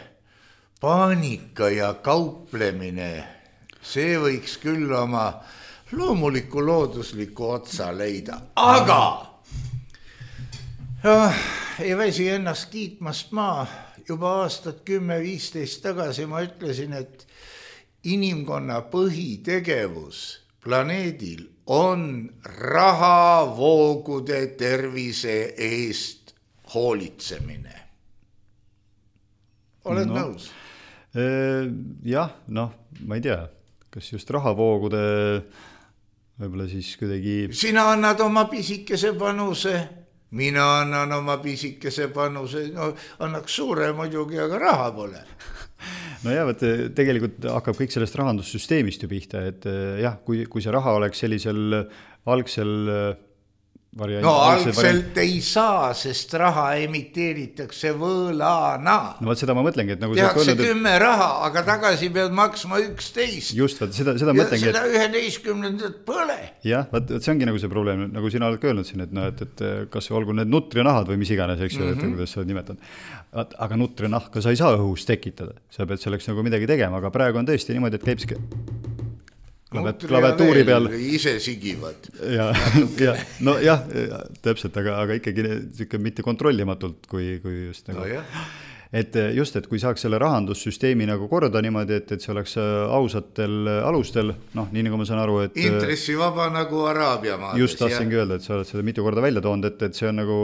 paanika ja kauplemine, see võiks küll oma loomuliku loodusliku otsa leida, aga ja, ei väsi ennast kiitmast ma juba aastat kümme viisteist tagasi ma ütlesin, et inimkonna põhitegevus planeedil on rahavoogude tervise eest hoolitsemine. Oled no, nõus? Jah, noh, ma ei tea, kas just rahavoogude võib-olla siis kuidagi... Sina annad oma pisikese panuse... Mina annan oma pisikese panuse, no annaks suure muidugi, aga raha pole. No jah, et tegelikult hakkab kõik sellest rahandussüsteemist ju pihta, et jah, kui, kui see raha oleks sellisel algsel variant. No algselt variant... ei saa, sest raha emiteeritakse võlana. No vaat seda ma mõtlengi, et nagu tehakse öelnud, kümme et... raha, aga tagasi pead maksma üksteist. Just, vaat seda, seda ja mõtlengi. Ja seda üheteistkümnendat põle. Jah, vaat see ongi nagu see probleem, nagu sina oled öelnud siin, et, no, et, et kas olgu need nutrinahad või mis iganes, eks ju, mm-hmm. et kuidas sa nimetad. Aga nutrinahka sa ei saa õhus tekitada, sa pead selleks nagu midagi tegema, aga praegu on tõesti niimoodi, et käib klaviatuuri peal ise sigivad ja, ja, no jah, täpselt, aga, aga ikkagi mitte kontrollimatult kui, kui just nagu no, et just, et kui saaks selle rahandussüsteemi nagu korda niimoodi, et, et see oleks ausatel alustel, noh, nii nagu ma saan aru, et intressivaba nagu Araabia maades. Just tahtsingi öelda, et sa oled seda mitu korda välja toonud, et, et see on nagu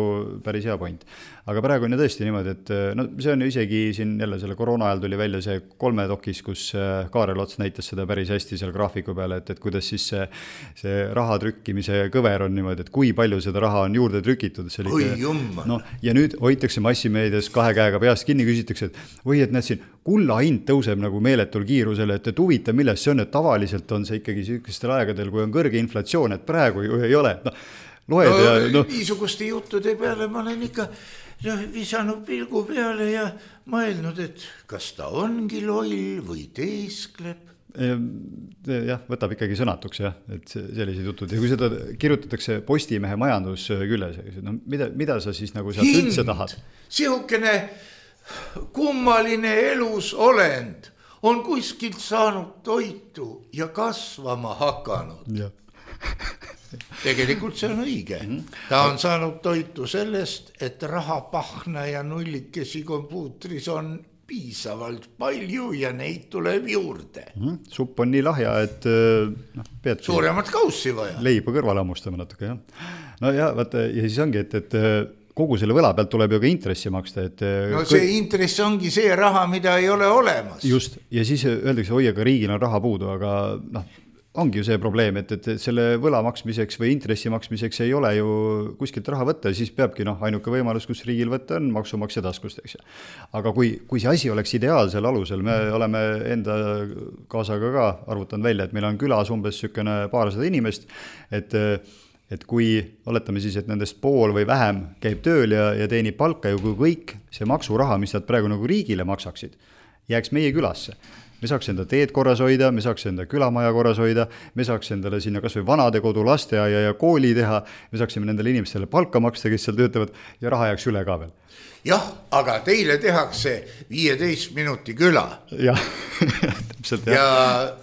päris hea point. Aga praegu on ju tõesti niimoodi, et no see on ju isegi siin jälle selle koroona ajal tuli välja see kolme dokis, kus Kaarel Ots näitas seda päris hästi seal graafiku peale, et, et kuidas siis see, see raha trükkimise kõver on niimoodi, et kui palju seda raha on juurde trükitud. Oi jumma. No, ja nüüd hoitakse massimeedias kahe käega peast kinni, küsitakse, et või et näed siin kulla hind tõuseb nagu meeletul kiirusel, et, et huvita, milles see on, et tavaliselt on see ikkagi sellistel aegadel, kui on kõrge inflatsioon, et praegu ju ei ole. No, loed no, ja, no. Niisuguste juttude peale ma olen ikka no, visanud pilgu peale ja mõelnud, et kas ta ongi loll või teeskleb. Jah, võtab ikkagi sõnatuks, jah, et sellised jutud. Ja kui seda kirjutatakse Postimehe majandus külles, no mida, mida sa siis nagu sealt üldse tahad? Sihukene kummaline elus olend on kuskilt saanud toitu ja kasvama hakanud. jah. Tegelikult see on õige. Ta on saanud toitu sellest, et rahapahna ja nullikesi kompuutris on piisavalt palju ja neid tuleb juurde. Mm-hmm. Supp on nii lahja, et noh, pead suuremat kaussi vaja. Leiba kõrvale hammustama natuke, jah. No ja, vaata, ja siis ongi, et, et kogu selle võla pealt tuleb ju ka intressi maksta. Et no see kõik... intress ongi see raha, mida ei ole olemas. Just, ja siis öeldakse, oi, aga riigil on raha puudu, aga noh, ongi ju see probleem, et, et selle võla maksmiseks või intressi maksmiseks ei ole ju kuskilt raha võtta, siis peabki noh, ainuke võimalus, kus riigil võtta on maksumaksja taskust, eks. Aga kui, kui see asi oleks ideaalsel alusel, me oleme enda kaasaga ka arvutanud välja, et meil on külas umbes sükene paarsada inimest, et et kui oletame siis, et nendest pool või vähem käib tööl ja, ja teenib palka ja kui kõik see maksuraha, mis nad praegu nagu riigile maksaksid, jääks meie külasse. Me saaks enda teed korras hoida, me saaks enda külamaja korras hoida, me saaks endale sinna kas või vanadekodu, lasteaia ja kooli teha, me saaksime nendele inimestele palka maksta, kes seal töötavad ja raha jääks üle ka veel. Jah, aga teile tehakse viieteist minuti küla. Jah, täpselt. Ja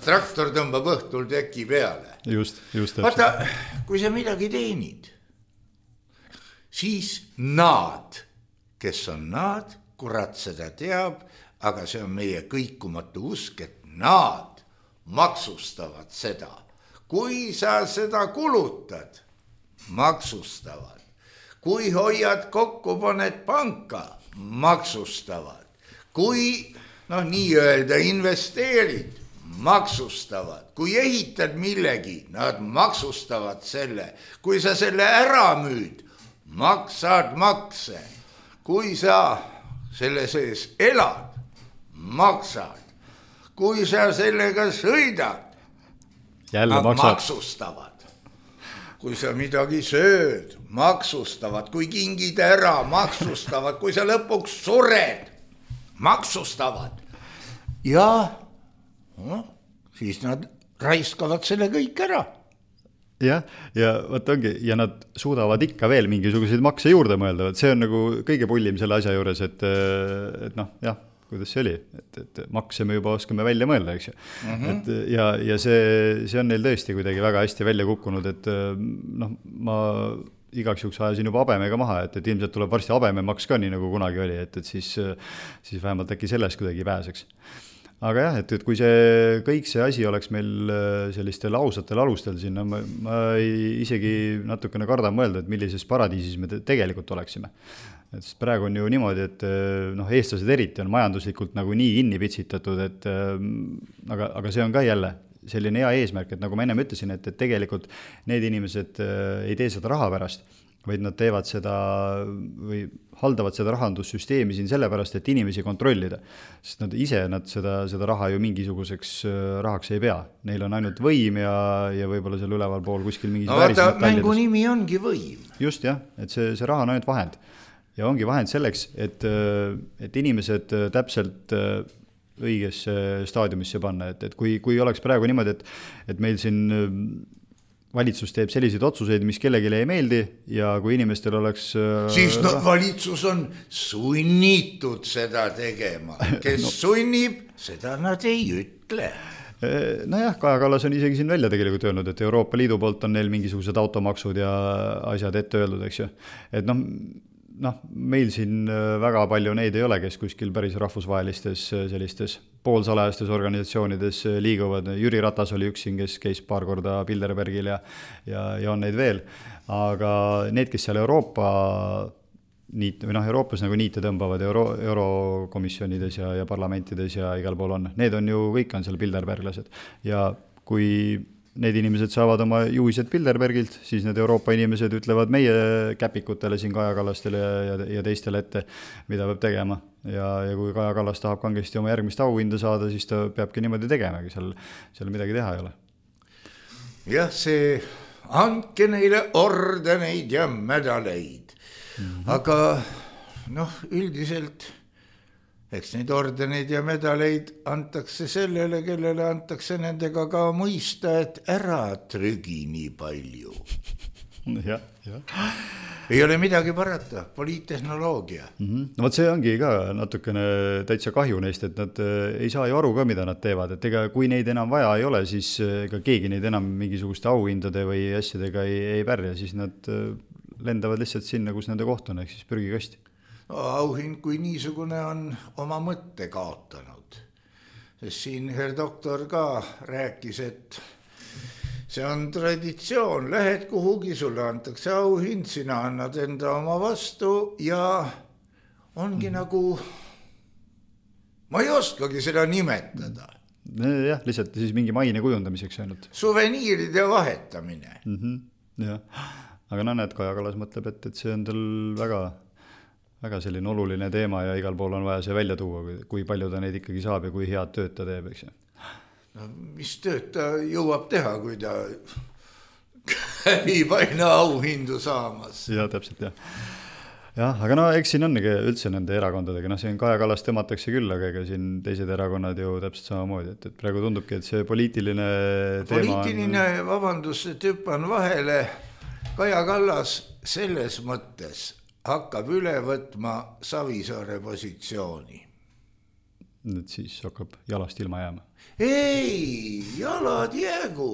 traktor tõmbab õhtul teki peale. Just, just. Vaata, kui sa midagi teenid, siis naad, kes on naad, kurat seda teab, aga see on meie kõikumatu usk, et naad maksustavad seda. Kui sa seda kulutad, maksustavad. Kui hoiad kokku, paned panka, maksustavad. Kui, noh, nii öelda, investeerid, maksustavad. Kui ehitad millegi, nad maksustavad selle. Kui sa selle ära müüd, maksad makse. Kui sa selle sees elad, maksad. Kui sa sellega sõidad, jälle nad maksad. Maksustavad. Kui sa midagi sööd, maksustavad. Kui kingid ära, maksustavad. Kui sa lõpuks sured, maksustavad. Ja no, siis nad raiskavad selle kõik ära. Jah, ja võt ongi, ja nad suudavad ikka veel mingisuguseid makse juurde mõelda, see on nagu kõige pullim selle asja juures, et, et noh, jah, kuidas see oli, et, et makse me juba oskame välja mõelda, eks ju. Mm-hmm. Et, ja, ja see, see on neil tõesti kuidagi väga hästi välja kukkunud, et noh, ma igaks juhuks ajasin juba habemega maha, et, et ilmselt tuleb varsti habememaks ka nii nagu kunagi oli, et, et siis, siis vähemalt äkki sellest kuidagi pääseks. Aga jah, et, et kui see kõik see asi oleks meil sellistel ausatel alustel siin, no ma, ma ei, isegi natukene kardan mõelda, et millises paradiisis me te, tegelikult oleksime. Et praegu on ju niimoodi, et noh, eestlased eriti on majanduslikult nagu nii kinni pitsitatud, et aga, aga see on ka jälle selline hea eesmärk, et nagu ma ennem ütlesin, et, et tegelikult need inimesed ei tee seda raha pärast, vaid nad teevad seda või haldavad seda rahandussüsteemi siin sellepärast, et inimesi kontrollida. Sest nad ise nad seda, seda raha ju mingisuguseks rahaks ei pea. Neil on ainult võim ja, ja võib-olla seal üleval pool kuskil mingis no vaata, mängu nimi ongi võim. Just jah, et see, see raha on ainult vahend. Ja ongi vahend selleks, et, et inimesed täpselt õiges staadiumisse panna. Et, et kui, kui oleks praegu niimoodi, et, et meil siin valitsus teeb selliseid otsuseid, mis kellelegi ei meeldi ja kui inimestel oleks... Siis no, valitsus on sunnitud seda tegema. Kes no. sunnib, seda nad ei ütle. Nojah, Kaja Kallas on isegi siin välja tegelikult öelnud, et Euroopa Liidu poolt on neil mingisugused automaksud ja asjad ette öeldud, eks ju. Et noh, noh, meil siin väga palju neid ei ole, kes kuskil päris rahvusvahelistes sellistes poolsalajastes organisatsioonides liiguvad. Jüri Ratas oli üks siin, kes käis paar korda Bilderbergil ja, ja, ja on neid veel. Aga need, kes seal Euroopa niit, või noh, Euroopas nagu niite tõmbavad euro, eurokomisjonides ja, ja parlamentides ja igal pool on, need on ju, kõik on seal Bilderberglased. Ja kui need inimesed saavad oma juhised Bilderbergilt, siis need Euroopa inimesed ütlevad meie käpikutele siin Kaja Kallastele ja, ja teistele ette, mida peab tegema. Ja, ja kui Kaja Kallas tahab kangesti oma järgmist auhinda saada, siis ta peabki niimoodi tegemagi, seal, seal midagi teha ei ole. Jah, see andke neile ordeneid ja medaleid. Mm-hmm. Aga noh, üldiselt eks neid ordeneid ja medaleid antakse sellele, kellele antakse nendega ka mõista, et ära trügi nii palju. jah, jah. Ei ole midagi parata, poliittehnoloogia. Mm-hmm. No võt see ongi ka natukene täitsa kahju neist, et nad ei saa ju aru ka, mida nad teevad, et ega kui neid enam vaja ei ole, siis ega keegi neid enam mingisuguste auhindade või asjadega ei, ei pärja, siis nad lendavad lihtsalt sinna, kus nende koht on, ehk siis prügikasti. No, auhind kui niisugune on oma mõtte kaotanud, sest siin herr doktor ka rääkis, et see on traditsioon, lähed kuhugi, sulle antakse auhind, sina annad enda oma vastu ja ongi mm-hmm. nagu, ma ei oskagi seda nimetada. Jah, lihtsalt siis mingi maine kujundamiseks ainult. Suveniiride vahetamine. Mm-hmm. Jah. Aga no näed, Kaja Kallas mõtleb, et, et see on tal väga, väga selline oluline teema ja igal pool on vaja see välja tuua, kui palju ta neid ikkagi saab ja kui head tööd ta teeb, eks ju. No, mis tööd ta jõuab teha, kui ta käib aina auhindu saamas. Jah, täpselt, jah. Jah, aga no eks siin on üldse nende erakondadega, no siin Kaja Kallas tõmmatakse küll, aga ega siin teised erakonnad ju täpselt samamoodi, et, et praegu tundubki, et see poliitiline teema poliitiline, on... vabandust, et hüppan vahele, Kaja Kallas selles mõttes hakkab üle võtma Savisaare positsiooni. Et siis hakkab jalast ilma jääma. Ei, jalad jäägu,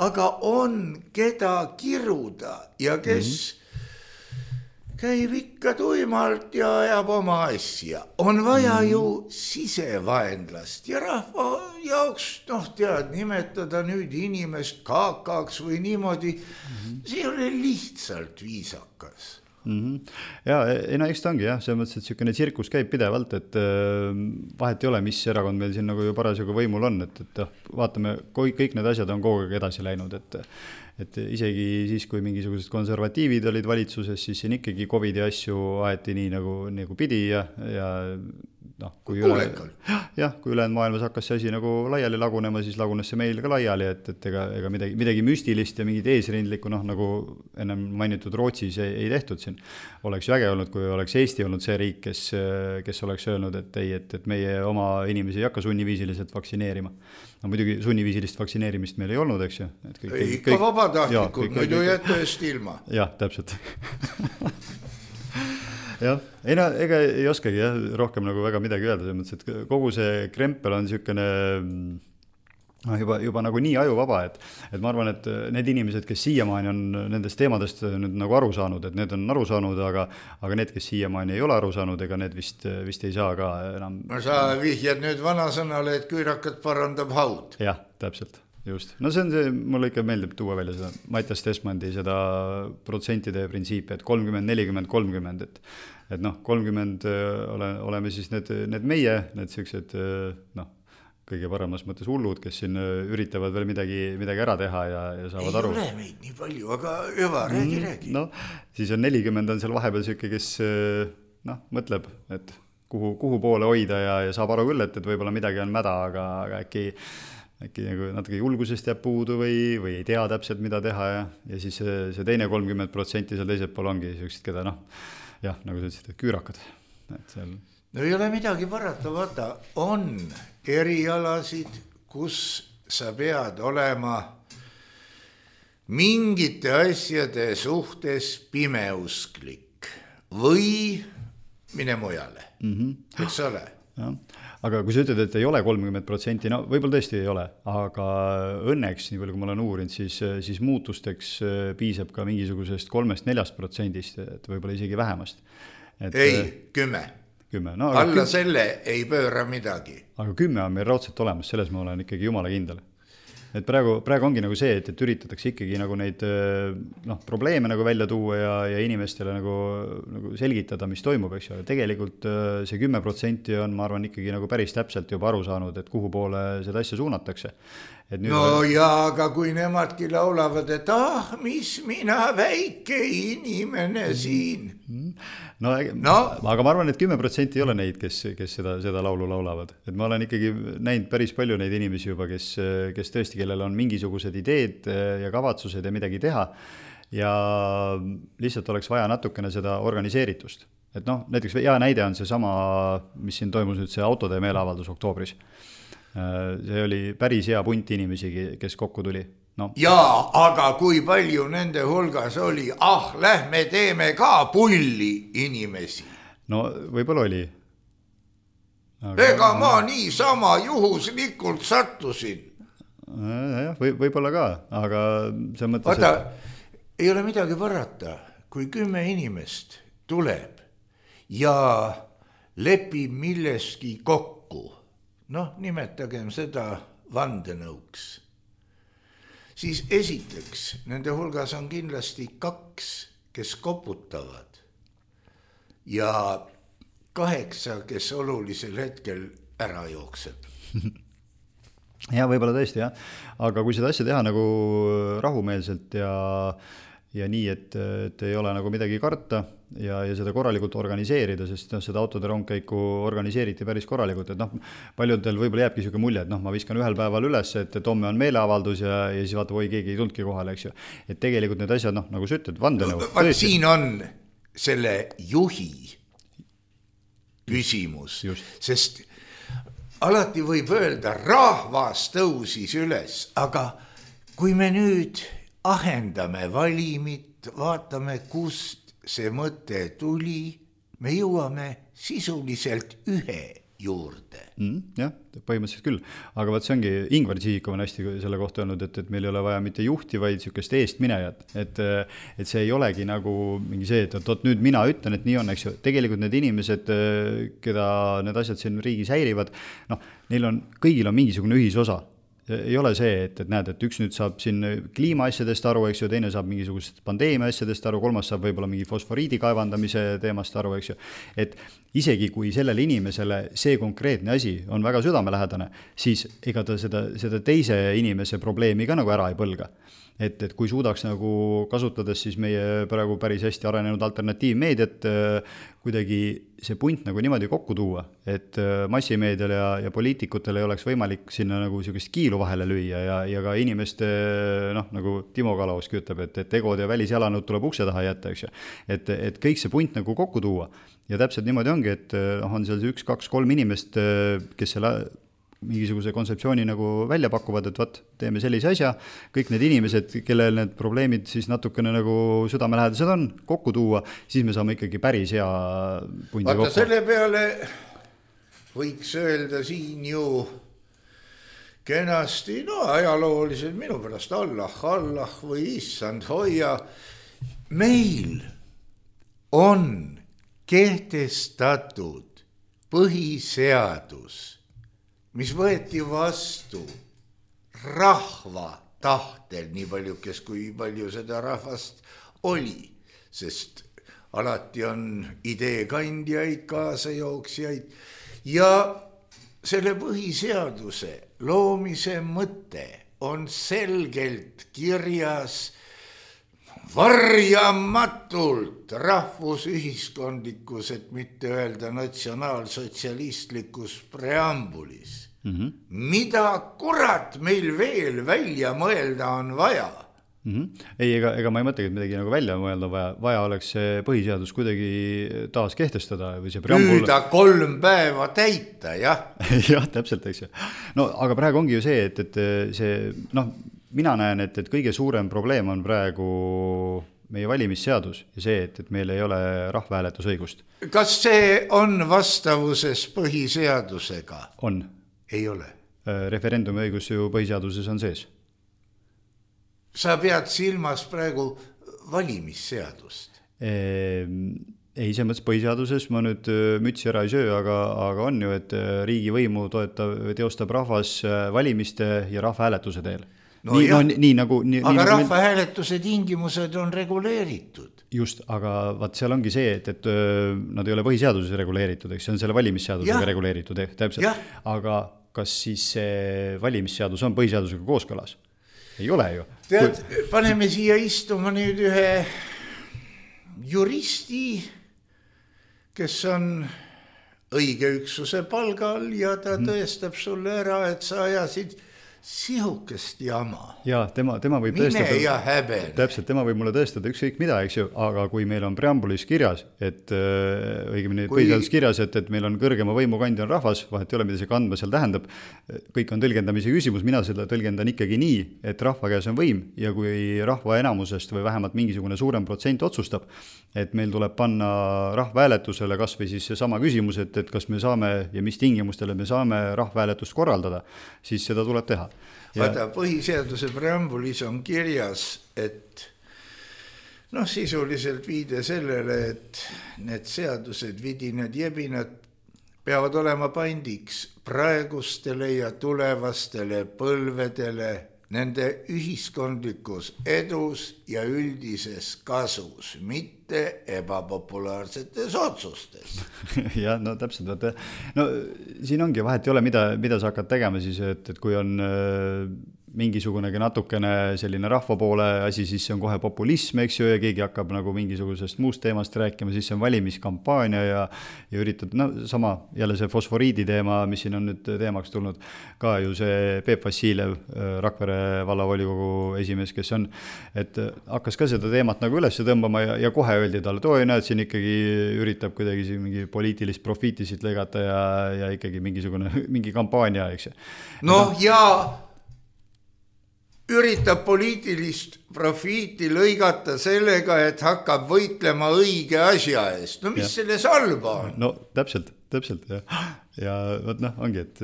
aga on keda kiruda ja kes mm-hmm. käib ikka tuimalt ja ajab oma asja. On vaja mm-hmm. ju sisevaenlast ja rahva jaoks, noh tead, nimetada nüüd inimest kaakaks või niimoodi, mm-hmm. see ei ole lihtsalt viisakas. Mm-hmm. Ja, ei no eks ta ongi jah, see mõttes, et selline tsirkus käib pidevalt, et vahet ei ole, mis erakond meil siin nagu ju parasjagu võimul on, et, et vaatame, kõik need asjad on kogu aeg edasi läinud, et, et isegi siis, kui mingisugused konservatiivid olid valitsuses, siis siin ikkagi Covidi asju aeti nii nagu, nagu pidi ja, ja noh, kui üle, jah, kui ülejäänud maailmas hakkas see asi nagu laiali lagunema, siis lagunes see meil ka laiali, et, et ega, ega midagi, midagi müstilist ja mingid eesrindlikku, noh, nagu ennem mainitud Rootsis ei, ei tehtud siin. Oleks ju äge olnud, kui oleks Eesti olnud see riik, kes, kes oleks öelnud, et ei, et, et meie oma inimesi ei hakka sunniviisiliselt vaktsineerima. No muidugi sunniviisilist vaktsineerimist meil ei olnud, eks ju. Et kõik, ei, ikka vabatahtlikult, muidu jätta eest ilma. Jah, täpselt. Jah, ei no, ega ei oskagi jah, rohkem nagu väga midagi öelda, mõttes, et kogu see krempel on niisugune no, juba, juba nagu nii ajuvaba, et, et ma arvan, et need inimesed, kes siiamaani on nendest teemadest nüüd nagu aru saanud, et need on aru saanud, aga, aga need, kes siiamaani ei ole aru saanud, ega need vist, vist ei saa ka enam. No sa vihjad nüüd vanasõnale, et küürakat parandab haud. Jah, täpselt. Just. No see on see, mulle ikka meeldib tuua välja seda Mattias Tesmandi seda protsentide printsiipi, et kolmkümmend, nelikümmend, kolmkümmend, et, et noh, kolmkümmend ole, oleme siis need, need meie, need sellised, noh, kõige paremas mõttes hullud, kes siin üritavad veel midagi, midagi ära teha ja, ja saavad ei aru. Ei ole meid nii palju, aga hüva, räägi, räägi. No, siis on nelikümmend on seal vahepeal selline, kes noh, mõtleb, et kuhu, kuhu poole hoida ja, ja saab aru küll, et, et võib-olla midagi on mäda, aga, aga äkki äkki nagu natuke julgusest jääb puudu või, või ei tea täpselt, mida teha ja, ja siis see, see teine kolmkümmend protsenti seal teisel pool ongi sellised, keda noh, jah, nagu sa ütlesid, et küürakad. Et seal... No ei ole midagi parata, vaata, on erialasid, kus sa pead olema mingite asjade suhtes pimeusklik või mine mujale, mm-hmm. eks ole? Jah. Aga kui sa ütled, et ei ole kolmkümmend protsenti, no võib-olla tõesti ei ole, aga õnneks, nii palju kui ma olen uurinud, siis, siis muutusteks piisab ka mingisugusest kolmest neljast protsendist, et võib-olla isegi vähemast. Et, ei, kümme. kümme. No, alla kümme, selle ei pööra midagi. Aga kümme on meil raudselt olemas, selles ma olen ikkagi jumala kindel. Et praegu, praegu ongi nagu see, et, et üritatakse ikkagi nagu neid noh, probleeme nagu välja tuua ja, ja inimestele nagu, nagu selgitada, mis toimub, eks ju. Tegelikult see kümme protsenti on, ma arvan, ikkagi nagu päris täpselt juba aru saanud, et kuhu poole seda asja suunatakse. Et nüüd no on... jaa, aga kui nemadki laulavad, et ah, mis mina väike inimene siin. No, no. Aga ma arvan, et kümme protsenti ei ole neid, kes, kes seda, seda laulu laulavad. Et ma olen ikkagi näinud päris palju neid inimesi juba, kes, kes tõesti, kellel on mingisugused ideed ja kavatsused ja midagi teha ja lihtsalt oleks vaja natukene seda organiseeritust. Et noh, näiteks hea näide on see sama, mis siin toimus nüüd see autode meeleavaldus oktoobris. See oli päris hea punt inimesi, kes kokku tuli. no. Jaa, aga kui palju nende hulgas oli, ah, lähme teeme ka pulli inimesi. No võib-olla oli. Aga... Ega ma niisama juhuslikult sattusin. Ja, või, võib-olla ka, aga see mõttes, Vaata, et... ei ole midagi parata, kui kümme inimest tuleb ja lepib milleski kokku. Noh, nimetagem seda vandenõuks. Siis esiteks, nende hulgas on kindlasti kaks, kes koputavad ja kaheksa, kes olulisel hetkel ära jookseb. Ja võib-olla tõesti, jah. Aga kui seda asja teha nagu rahumeelselt ja, ja nii, et, et ei ole nagu midagi karta ja, ja seda korralikult organiseerida, sest no, seda autode rongkäiku organiseeriti päris korralikult, et noh, paljudel võib-olla jääbki selline mulje, et noh, ma viskan ühel päeval üles, et, et homme on meeleavaldus ja, ja siis vaata, või keegi ei tulnudki kohale, eks ju. Et tegelikult need asjad, noh, nagu sa ütled, vandenõu. Vaat siin on selle juhi küsimus, Just. sest alati võib öelda, rahvas tõusis üles, aga kui me nüüd ahendame valimit, vaatame, kust see mõte tuli, me jõuame sisuliselt ühe juurde. Mm, jah, põhimõtteliselt küll. Aga vaat see ongi, Ingvar Sihikov on hästi selle kohta öelnud, et, et meil ei ole vaja mitte juhti, vaid niisugust eestminejat. Et, et see ei olegi nagu mingi see, et, et nüüd mina ütlen, et nii on, eks ju. Tegelikult need inimesed, keda need asjad siin riigis häirivad, noh, neil on, kõigil on mingisugune ühisosa. Ei ole see, et, et näed, et üks nüüd saab siin kliimaasjadest aru, eks ju, teine saab mingisugust pandeemia asjadest aru, kolmas saab võib-olla mingi fosforiidi kaevandamise teemast aru, eks ju. Et isegi kui sellele inimesele see konkreetne asi on väga südamelähedane, siis ega ta seda, seda teise inimese probleemi ka nagu ära ei põlga. Et, et kui suudaks nagu kasutades siis meie praegu päris hästi arenenud alternatiivmeediat kuidagi see punt nagu niimoodi kokku tuua, et massimeedial ja, ja poliitikutel ei oleks võimalik sinna nagu sellist kiilu vahele lüüa ja, ja ka inimeste, noh, nagu Timo Kalavski ütleb, et, et egod ja välisjalanud tuleb ukse taha jätta, eks ju. Et, et kõik see punt nagu kokku tuua ja täpselt niimoodi ongi, et on seal üks, kaks, kolm inimest, kes selle mingisuguse kontseptsiooni nagu välja pakuvad, et võt, teeme sellise asja, kõik need inimesed, kellel need probleemid siis natukene nagu südamelähedased on, kokku tuua, siis me saame ikkagi päris hea pundi Vaata, kokku. Selle peale võiks öelda siin ju kenasti, no ajalooliselt minu pärast Allah, Allah või issand hoia. Meil on kehtestatud põhiseadus, mis võeti vastu rahva tahtel, nii palju, kes kui palju seda rahvast oli, sest alati on ideekandjaid, kaasajooksjaid ja selle põhiseaduse loomise mõte on selgelt kirjas varjamatult rahvusühiskondlikus, et mitte öelda natsionaalsotsialistlikus preambulis. Mm-hmm. Mida kurat meil veel välja mõelda on vaja? Mm-hmm. Ei, ega, ega ma ei mõtlegi, et midagi nagu välja mõelda vaja. Vaja oleks see põhiseadus kuidagi taas kehtestada või see preambul... Püüda kolm päeva täita, jah. jah, täpselt, eks ju. No, aga praegu ongi ju see, et, et see, noh, mina näen, et, et kõige suurem probleem on praegu meie valimisseadus ja see, et, et meil ei ole rahvahääletusõigust. Kas see on vastavuses põhiseadusega? On. Ei ole. Referendumi õigus ju põhiseaduses on sees. Sa pead silmas praegu valimisseadust? Ei, see mõttes põhiseaduses ma nüüd mütsi ära ei söö, aga, aga on ju, et riigivõimu toetab, teostab rahvas valimiste ja rahvahääletuse teel. No nii, no, nii, nagu, nii, aga nii, rahvahääletuse tingimused on reguleeritud. Just, aga vaat seal ongi see, et, et nad ei ole põhiseaduses reguleeritud, eks see on selle valimisseadusega ja. reguleeritud, täpselt. Ja. Aga kas siis see valimisseadus on põhiseadusega kooskõlas? Ei ole ju. Tead, paneme siia istuma nüüd ühe juristi, kes on õige üksuse palgal ja ta tõestab sulle ära, et sa ajasid sihukest jama. Jaa, tema, tema võib Mine tõestada, ja häbene. Täpselt, tema võib mulle tõestada ükskõik mida, eks ju, aga kui meil on preambulis kirjas, et õigemini kui... põhiseadus kirjas, et, et meil on kõrgema võimukandja on rahvas, vahet ei ole, mida see kandma seal tähendab, kõik on tõlgendamise küsimus, mina seda tõlgendan ikkagi nii, et rahva käes on võim ja kui rahva enamusest või vähemalt mingisugune suurem protsent otsustab, et meil tuleb panna rahvahääletusele kas või siis seesama küsimus, et, et kas me saame ja mis tingimustele me saame rahvahääletust korraldada, siis seda tuleb teha. Ja... Vaata, põhiseaduse preambulis on kirjas, et noh, sisuliselt viide sellele, et need seadused, vidinad, jebinad peavad olema pandiks praegustele ja tulevastele põlvedele nende ühiskondlikus edus ja üldises kasus, mitte ebapopulaarsetes otsustes. Jah, no täpselt, vaata, no siin ongi vahet ei ole, mida, mida sa hakkad tegema siis, et, et kui on mingisugunegi natukene selline rahva poole asi, siis see on kohe populism, eks ju, ja keegi hakkab nagu mingisugusest muust teemast rääkima, siis see on valimiskampaania ja, ja üritad, no sama, jälle see fosforiidi teema, mis siin on nüüd teemaks tulnud, ka ju see Peep Vassiljev, Rakvere vallavolikogu esimees, kes on, et hakkas ka seda teemat nagu üles tõmbama ja, ja kohe öeldi talle, et oi, näed, siin ikkagi üritab kuidagi mingi poliitilist profiitisid lõigata ja, ja ikkagi mingisugune, mingi kampaania, eks ju. Noh, ja üritab poliitilist profiiti lõigata sellega, et hakkab võitlema õige asja eest. No mis ja. Selles halba on? No täpselt, täpselt, jah. Ja võt noh, ongi, et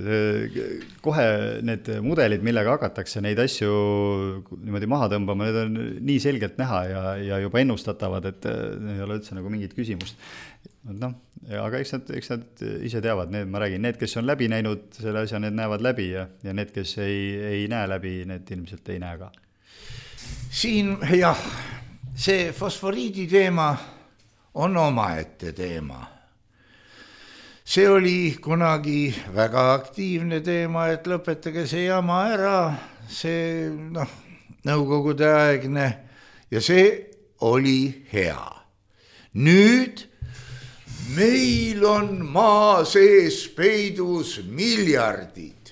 kohe need mudelid, millega hakatakse neid asju niimoodi maha tõmbama, need on nii selgelt näha ja, ja juba ennustatavad, et ei ole üldse nagu mingit küsimust. No, aga eks nad, eks nad ise teavad, need, ma räägin, need, kes on läbi näinud selle asja, need näevad läbi ja, ja need, kes ei, ei näe läbi, need ilmselt ei näe ka. Siin, jah, see fosforiidi teema on omaette teema. See oli kunagi väga aktiivne teema, et lõpetage see jama ära, see, noh, nõukogude aegne ja see oli hea. Nüüd meil on maa sees peidus miljardid.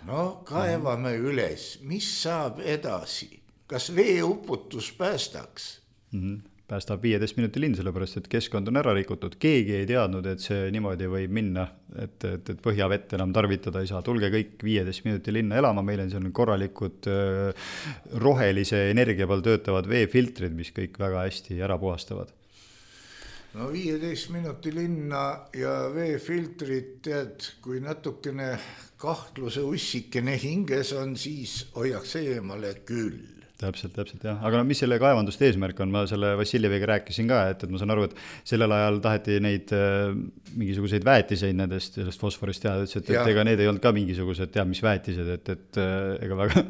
No kaevame üles, mis saab edasi? Kas veeuputus päästaks? Mm-hmm. Päästab viieteist minuti linn, sellepärast, et keskkond on ära rikutud. Keegi ei teadnud, et see niimoodi võib minna, et, et, et põhjavett enam tarvitada ei saa. Tulge kõik viieteist minuti linna elama, meil on seal korralikud äh, rohelise energia peal töötavad veefiltrid, mis kõik väga hästi ära puhastavad. No viieteist minuti linna ja veefiltrid, tead, kui natukene kahtluse ussikene hinges on, siis hoiaks eemale küll. Täpselt, täpselt, jah. Aga no, mis selle kaevanduste eesmärk on? Ma selle Vassiljeviga rääkisin ka, et, et ma saan aru, et sellel ajal taheti neid äh, mingisuguseid väetiseid nendest sellest fosforist teha, et, et, et ega need ei olnud ka mingisugused teab mis väetised, et, et äh, ega väga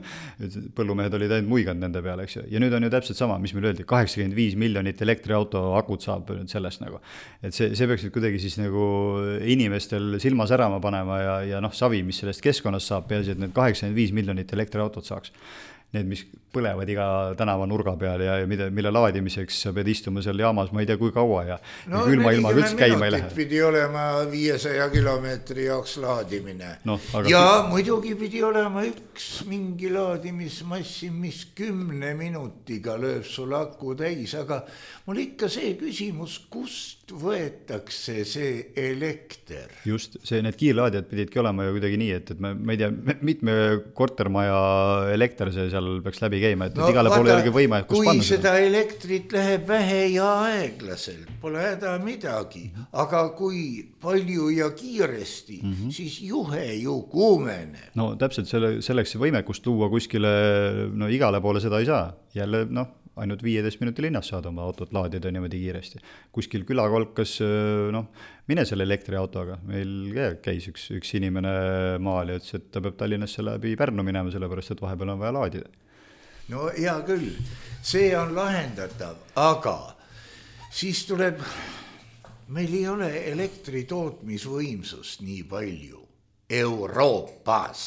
põllumehed olid ainult muiganud nende peale, eks ju. Ja nüüd on ju täpselt sama, mis meil öeldi, kaheksakümmend viis miljonit elektriauto akut saab nüüd sellest nagu. Et see, see peaks kuidagi siis nagu inimestel silma särama panema ja, ja noh, savi, mis sellest keskkonnast saab, peaasi, et need kaheksakümmend viis miljonit elektriautot saaks. Need, mis põlevad iga tänava nurga peal ja, ja mida, mille laadimiseks sa pead istuma seal jaamas, ma ei tea, kui kaua ja, no, ja külma ilma üldse käima ei lähe. Pidi olema viiesaja kilomeetri jaoks laadimine. No, aga... Ja muidugi pidi olema üks mingi laadimismassi, mis kümne minutiga lööb sul aku täis, aga mul ikka see küsimus, kust võetakse see elekter? Just, see, need kiirlaadijad pididki olema ju kuidagi nii, et, et me, me ei tea, mitme kortermaja elekter see seal peaks läbi käima, et, no, et igale poole olegi võima, kus kui panna seda. Seda elektrit läheb vähe ja aeglaselt, pole häda midagi, aga kui palju ja kiiresti, mm-hmm. siis juhe ju kuumeneb. No täpselt selle, selleks see võimekust tuua kuskile, no igale poole seda ei saa. Jälle, noh, ainult viieteist minuti linnas saad oma autot laadida niimoodi kiiresti. Kuskil külakolkas, noh, mine selle elektriautoga. Meil käis üks, üks inimene maal ja ütles, et ta peab Tallinnasse läbi Pärnu minema, sellepärast, et vahepeal on vaja laadida. No hea küll, see on lahendatav, aga siis tuleb, meil ei ole elektritootmisvõimsust nii palju Euroopas.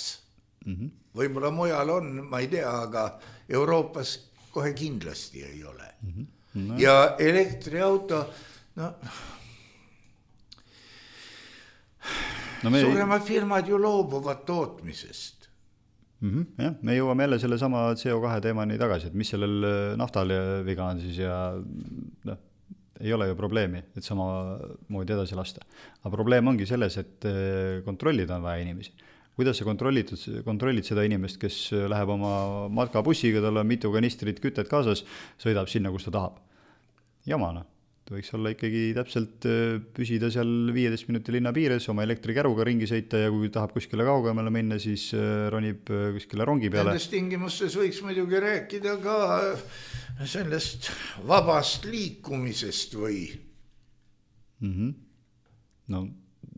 Mm-hmm. Võib-olla mujal on, ma ei tea, aga Euroopas kohe kindlasti ei ole. Mm-hmm. No. Ja elektriauto, no, no me... suuremad firmad ju loobuvad tootmisest. Mm-hmm, jah, me jõuame jälle selle sama C O kahe teemani tagasi, et mis sellel naftal viga on siis ja noh, ei ole ju probleemi, et sama moodi edasi lasta. Aga probleem ongi selles, et kontrollida on vaja inimesi. Kuidas sa kontrollid, kontrollid seda inimest, kes läheb oma matkabussiga, tal on mitu kanistrit kütet kaasas, sõidab sinna, kus ta tahab. Jamana. Võiks olla ikkagi täpselt püsida seal viieteist minuti linna piires, oma elektrikäruga ringi sõita ja kui tahab kuskile kaugemale minna, siis ronib kuskile rongi peale. Nendes tingimustes võiks muidugi rääkida ka sellest vabast liikumisest või? Mm-hmm. No,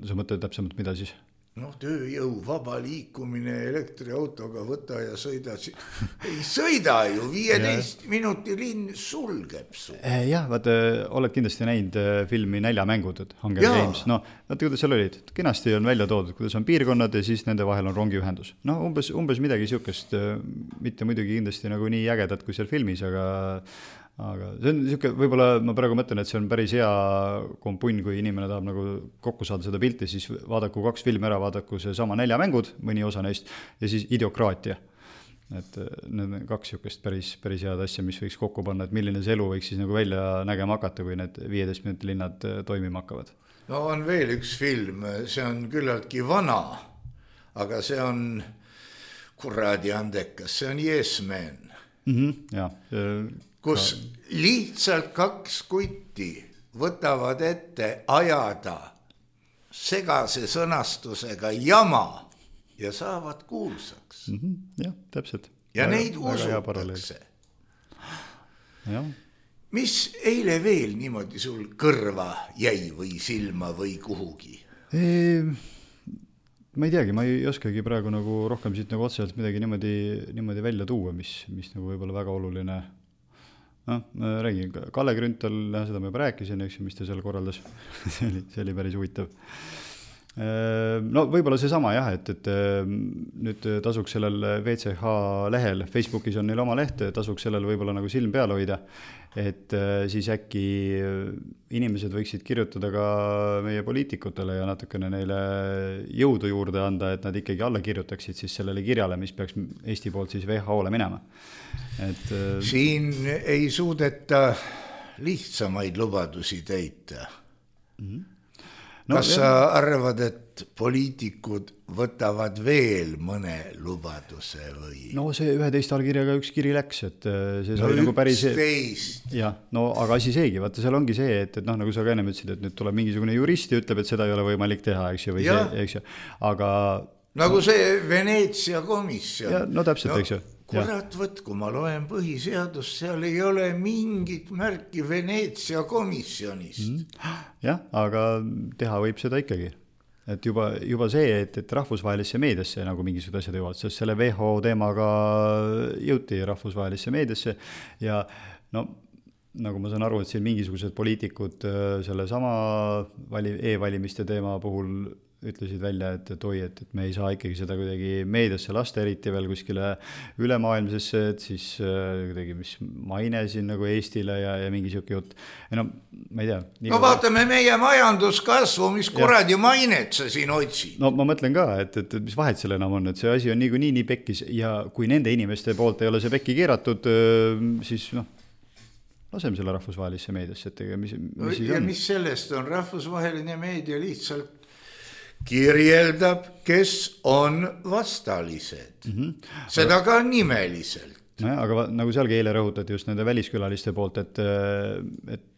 sa mõtled täpsemalt, mida siis? No tööjõu vaba liikumine elektriautoga võta ja sõida. Ei sõida ju, viieteist minuti linn sulgeb su. Jah, vaata, oled kindlasti näinud filmi Näljamängud, Hunger Games. No, vaata, kuidas seal olid. Kenasti on välja toodud, kuidas on piirkonnad ja siis nende vahel on rongiühendus. No, umbes, umbes midagi siukest, mitte muidugi kindlasti nagu nii ägedat kui seal filmis, aga aga see on siuke, võib-olla ma praegu mõtlen, et see on päris hea kompunn, kui inimene tahab nagu kokku saada seda pilti, siis vaadaku kaks filmi ära, vaadaku see sama Näljamängud, mõni osa neist, ja siis Idiokraatia. Et need kaks siukest päris, päris head asja, mis võiks kokku panna, et milline see elu võiks siis nagu välja nägema hakata, kui need viieteist minuti linnad toimima hakkavad. No on veel üks film, see on küllaltki vana, aga see on kuradi andekas, see on Yes Man. Mm-hmm, ja, kus lihtsalt kaks kutti võtavad ette ajada segase sõnastusega jama ja saavad kuulsaks. Mm-hmm, jah, täpselt. Ja väga, neid usutakse. Ja. Mis eile veel niimoodi sul kõrva jäi või silma või kuhugi? Eee, ma ei teagi, ma ei oskagi praegu nagu rohkem siit nagu otseselt midagi niimoodi, niimoodi välja tuua, mis, mis nagu võib-olla väga oluline. No, ma räägin, Kalle Grünthal, seda ma juba rääkisin, eks, mis ta seal korraldas. see, oli, see oli päris huvitav. No võib-olla see sama jah, et, et nüüd tasuks sellel V C H lehel, Facebookis on neil oma leht, tasuks sellel võib-olla nagu silm peal hoida, et siis äkki inimesed võiksid kirjutada ka meie poliitikutele ja natukene neile jõudu juurde anda, et nad ikkagi alla kirjutaksid siis sellele kirjale, mis peaks Eesti poolt siis V H O-le minema. Et, siin ei suudeta lihtsamaid lubadusi täita. Mm-hmm. No, kas sa arvad, et poliitikud võtavad veel mõne lubaduse või? No see üheteist allkirjaga üks kiri läks, et see sai no nagu päris... üksteist. Jah, no aga asi seegi, vaata seal ongi see, et, et noh, nagu sa ka ennem ütlesid, et nüüd tuleb mingisugune jurist ja ütleb, et seda ei ole võimalik teha, eks ju, või ja. See, eks ju, aga... Nagu see Veneetsia komisjon. Ja, no täpselt, no, eks ju. Kurat, võt, kui ma loen põhiseadust, seal ei ole mingit märki Veneetsia komisjonist. Mm. Jah, aga teha võib seda ikkagi. Et juba, juba see, et, et rahvusvahelisse meediasse nagu mingisugused asjad jõuavad, sest selle V H O teemaga jõuti rahvusvahelisse meediasse ja no, nagu ma saan aru, et siin mingisugused poliitikud selle sama vali, e-valimiste teema puhul ütlesid välja, et, et oi, et, et me ei saa ikkagi seda kuidagi meediasse lasta, eriti veel kuskile ülemaailmsesse, et siis kuidagi mis maine siin nagu Eestile ja, ja mingi siuke jutt. Ja no, ma ei tea. No vaatame meie majanduskasvu, mis kuradi mainet sa siin otsid. No ma mõtlen ka, et, et, et mis vahet selle enam on, et see asi on nii kui nii, nii pekkis ja kui nende inimeste poolt ei ole see pekki keeratud, siis noh, laseme selle rahvusvahelisse meediasse, et mis, mis siis ja on? Mis sellest on? Rahvusvaheline meedia lihtsalt kirjeldab, kes on vastalised. Mm-hmm. Seda ka nimeliselt. No, aga nagu sealgi eile rõhutati just nende väliskülaliste poolt, et, et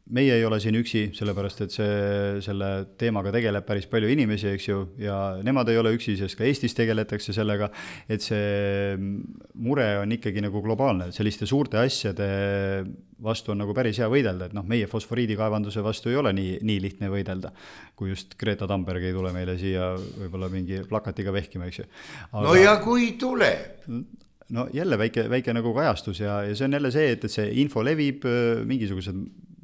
meie ei ole siin üksi, sellepärast, et see, selle teemaga tegeleb päris palju inimesi, eks ju, ja nemad ei ole üksi, sest ka Eestis tegeletakse sellega, et see mure on ikkagi nagu globaalne, selliste suurte asjade vastu on nagu päris hea võidelda, et noh, meie fosforiidikaevanduse vastu ei ole nii, nii lihtne võidelda, kui just Greta Thunberg ei tule meile siia võib-olla mingi plakatiga vehkima, eks ju. Aga... No ja kui tuleb? No jälle väike, väike nagu kajastus ja, ja see on jälle see, et, et see info levib, mingisugused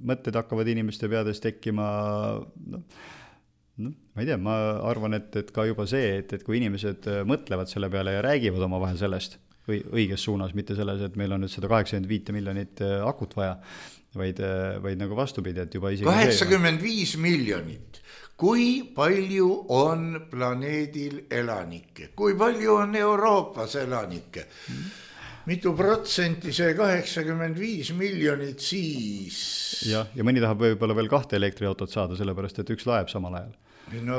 mõtted hakkavad inimeste peades tekkima, no, no, ma ei tea, ma arvan, et, et ka juba see, et, et kui inimesed mõtlevad selle peale ja räägivad oma vahel sellest või õiges suunas, mitte selles, et meil on nüüd seda kaheksakümmend viis miljonit akut vaja, vaid, vaid nagu vastupidi, et juba isegi kaheksakümmend viis miljonit. kui palju on planeedil elanikke, kui palju on Euroopas elanikke, mitu protsenti see kaheksakümmend viis miljonit siis. Ja, ja mõni tahab võib-olla veel kahte elektriautot saada, sellepärast et üks laeb samal ajal. No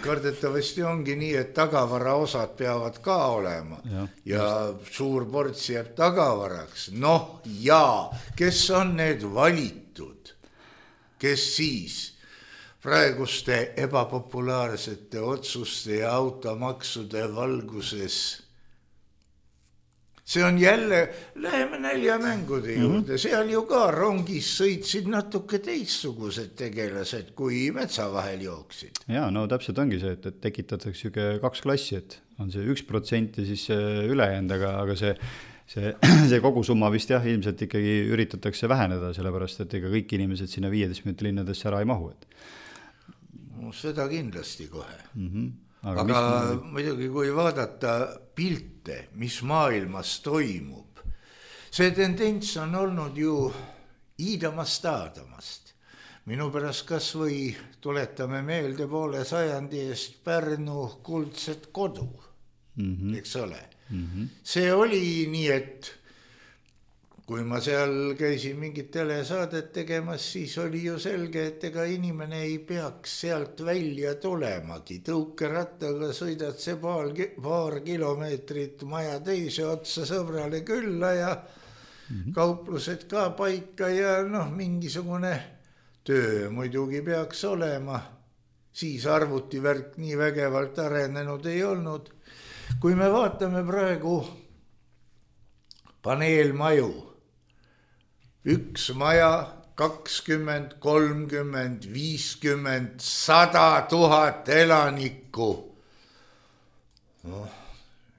kardetavasti ongi nii, et tagavara osad peavad ka olema ja, ja suur ports jääb tagavaraks. Noh ja, kes on need valitud, kes siis praeguste ebapopulaarsete otsuste ja automaksude valguses. See on jälle, läheme näljamängude juurde, seal ju ka rongis sõitsid natuke teistsugused tegelased, kui metsa vahel jooksid. Jaa, no täpselt ongi see, et, et tekitatakse kaks klassi, et on see üks protsent ja siis ülejäänud, aga, aga see, see, see kogu summa vist jah, ilmselt ikkagi üritatakse väheneda, sellepärast, et ega kõik inimesed sinna viieteist minuti linnadesse ära ei mahu. Et... No, seda kindlasti kohe. Mhm. Aga, aga mis... muidugi, kui vaadata pilte, mis maailmas toimub, see tendents on olnud ju iidamast aadamast. Minu pärast kas või tuletame meelde poole sajandi eest Pärnu kuldset kodu, mm-hmm. eks ole. Mm-hmm. See oli nii, et kui ma seal käisin mingit telesaadet tegemas, siis oli ju selge, et ega inimene ei peaks sealt välja tulemagi. Tõukerattaga sõidad see paar, paar kilomeetrit maja teise otsa sõbrale külla ja mm-hmm. kauplused ka paika ja noh, mingisugune töö muidugi peaks olema. Siis arvutivärk nii vägevalt arenenud ei olnud. Kui me vaatame praegu paneelmaju, üks maja, kakskümmend, kolmkümmend, viiskümmend, sada tuhat elanikku. No,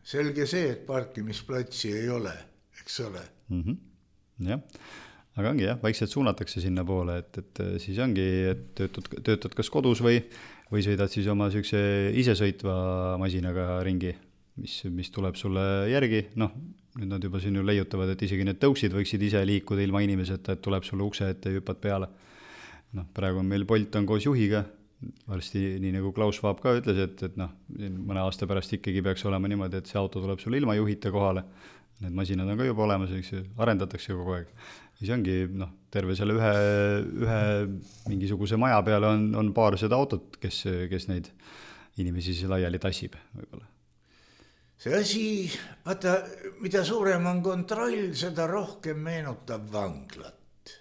selge see, et parkimisplatsi ei ole, eks ole. Mm-hmm. Jah, aga ongi jah, vaikselt suunatakse sinna poole, et, et siis ongi, et töötad, töötad kas kodus või, või sõidad siis oma sükse isesõitva masinaga ringi, mis, mis tuleb sulle järgi, noh, nüüd nad juba siin ju leiutavad, et isegi need tõuksid võiksid ise liikuda ilma inimeseta, et tuleb sulle ukse ette ja hüppad peale. Noh, praegu on meil Bolt on koos juhiga, varsti nii nagu Klaus Vaab ka ütles, et, et noh, mõne aasta pärast ikkagi peaks olema niimoodi, et see auto tuleb sulle ilma juhita kohale. Need masinad on ka juba olemas, arendatakse kogu aeg. Siis ongi, noh, terve selle ühe, ühe mingisuguse maja peale on, on paar seda autot, kes, kes neid inimesi siis laiali tassib võib-olla. See asi, vaata, mida suurem on kontroll, seda rohkem meenutab vanglat.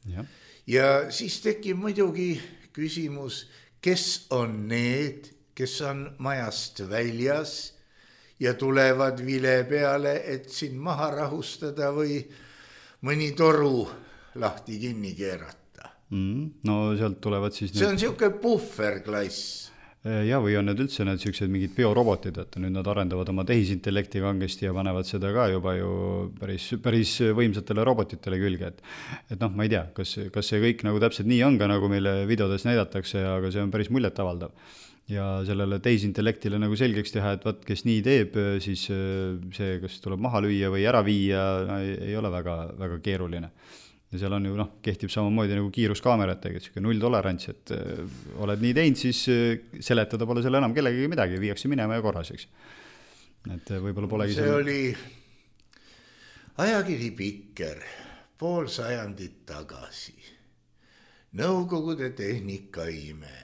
Ja, ja siis tekib muidugi küsimus, kes on need, kes on majast väljas ja tulevad vile peale, et siin maha rahustada või mõni toru lahti kinni keerata. Mm, no sealt tulevad siis... See need... on siuke puhverklass. Ja, või on need üldse need sellised mingid biorobotid, et nüüd nad arendavad oma tehisintellekti kangesti ja panevad seda ka juba ju päris, päris võimsatele robotitele külge. Et, et noh, ma ei tea, kas, kas see kõik nagu täpselt nii on ka, nagu meile videodes näidatakse, aga see on päris muljet avaldav. Ja sellele tehisintellektile nagu selgeks teha, et vaat, kes nii teeb, siis see, kas tuleb maha lüüa või ära viia, ei, ei ole väga, väga keeruline. Ja seal on ju, noh, kehtib samamoodi nagu kiiruskaamerat, et null tolerants, et äh, oled nii teinud, siis äh, seletada pole selle enam kellegagi midagi, viiakse minema ja korras, eks. Et äh, võib-olla polegi... See selle... oli ajakiri Pikker pool sajandit tagasi. Nõukogude tehnikaime.